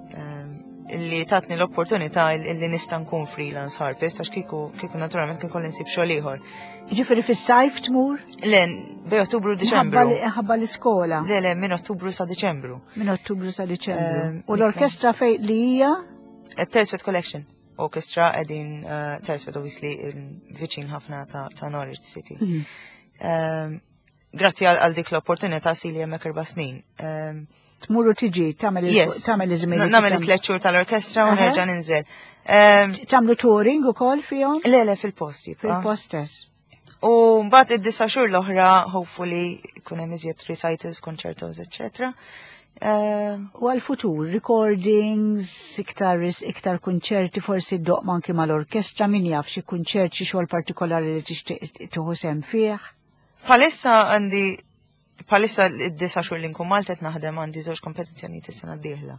Eh, Illi tatni l-opportunità illi nista' nkun freelance harpist, għax kieku kieku naturalment kien kolli nsib xogħol ieħor. Ġifieri fis-sajf tmur? Le, bej Ottubru u Diċembru. Ħabba l-iskola. Le, le, minn Ottubru sa Diċembru. Minn Ottubru sa Diċembru. Ehm, U l-orkestra fej li hija? Telesford Collection Orchestra qegħdin uh, Telesford, obviously viċin ħafna ta', ta' Norwich City. Mhm. Um, Grazzi għal għal dik l-opportunità sili hemmhekk erba' snin. Um, Tmur u tiġi, tagħmel il- Yes. tagħmel iż-żmien. Nagħmel it-tliet xhur tal-orkestra u Aha. nerġa' ninżel. Um, Tagħmlu touring ukoll fihom? Le, le, fil-post jibqa'. Fil-post stess. U mbagħad id-disa' xhur l-oħra hopefully ikun hemm iżjed recitals, concertos, eċċetera. Um, U għal-futur, recordings, iktar, iktar kunċerti, forsi ddoqq anki mal-orkestra, min jaf, xi kunċert, xi xogħol partikolari li tixtieq tieħu sehem fih. Bħalissa għandi bħalissa id-disa' xhur li nkun Malta qed naħdem, għandi żewġ kompetizzjonijiet is-sena d-dieħla.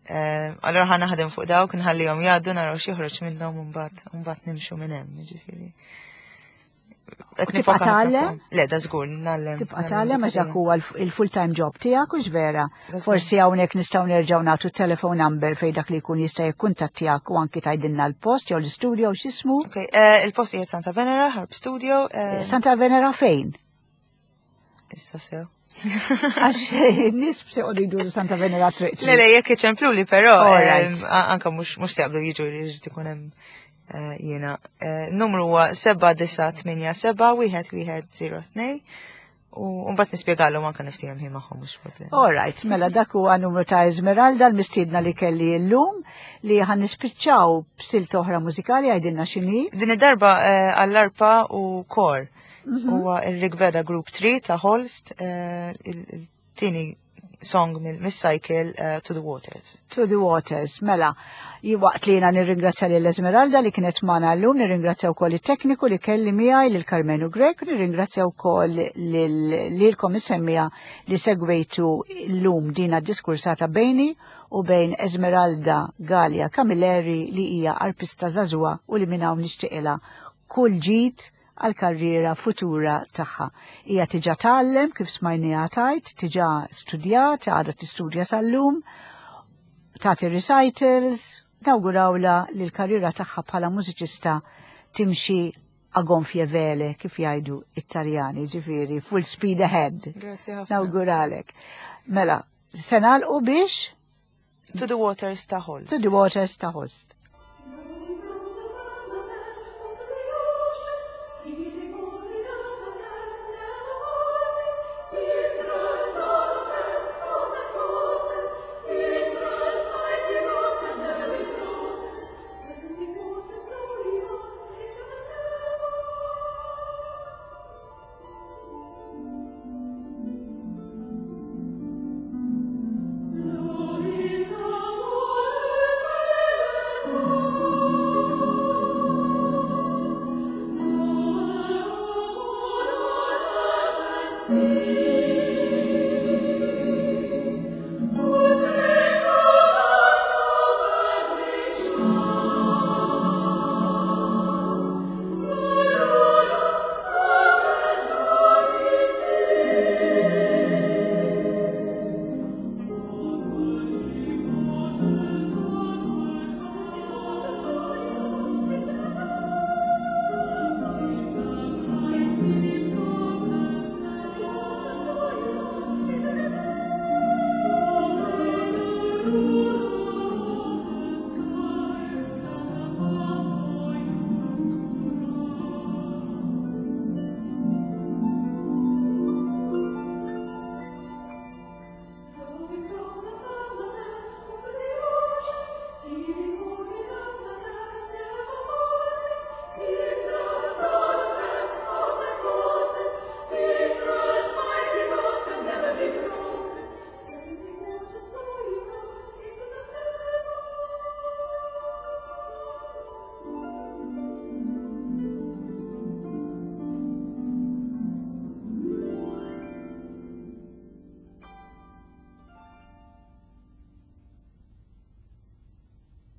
Eh, Allora ħa naħdem fuq dawk, nħallihom jgħaddu, naraw x'joħroġ minnhom u mbagħad u mbagħad nimxu minn hemm, jiġifieri. Qed U tibqa' nifoka ħafna tgħallem? fuqhom. Le, da żgur, ngħallem. Tibqa' ngħallem tgħallem għax dak dik huwa il-full-time job tiegħek, u vera. Da żgur. Forsi hawnhekk nistgħu nerġgħu nagħtu telephone number fejn dak li jkun jista' jikkuntattjak u anki tgħidilna l-post jew l-istudio u x'ismu. Ok, eh, il-post qiegħed Santa Venera, Harp Studio. eh, Santa Venera fejn? Issa sew. Għax n-nies se jqogħdu jduru Santa Venera triq. Le, le, jekk iċemplu li però, All right. em, a- anka mhux mhux se jaqbdu jiġu, jrid ikun hemm eh, jiena. Eh, Numru huwa seba' disa' tmienja seba' wieħed wieħed żero tnejn u mbagħad nispjegalhom, anka niftiehem ħin magħhom, mhux problema. All right, mela dak huwa numru ta' Esmeralda, l-mistiedna li kelli llum, li ħan nispiċċaw b'silta oħra mużikali. Għajdilna x'inhi. Din id-darba eh, għall-arpa u kor. Huwa il-Rigveda Group three ta' Holst, eh, il- il-tieni song mill-cycle eh, To the Waters. To the Waters, mela. Waqt li jena nirringrazzja lil Esmeralda li kienet magħna llum, nirringrazzja wkoll it-tekniku li kelli miegħi, lil Karmenu Grek, nirringrazzja wkoll lilkom is-semmiegħa li segwejtu llum dina diskursata bejni u bejn Esmeralda Gallia Camilleri, li hija arpista żagħżugħa u li minn hawn nixtieqilha kull ġid għal karriera futura tagħha. Hija tiġa tgħallem, kif smajniha tajt, tiġa studjat, għadha tistudja sal-lum, tagħti recitals, nawgurawla li l-karriera tagħha bħala mużiċista timxi a gonfie vele, kif jgħidu Italjani, ġifieri full speed ahead. Grazie ħafna. Nawguralek. Mela, se nagħlqu biex To the Waters ta' Holst. To the Waters ta' Holst.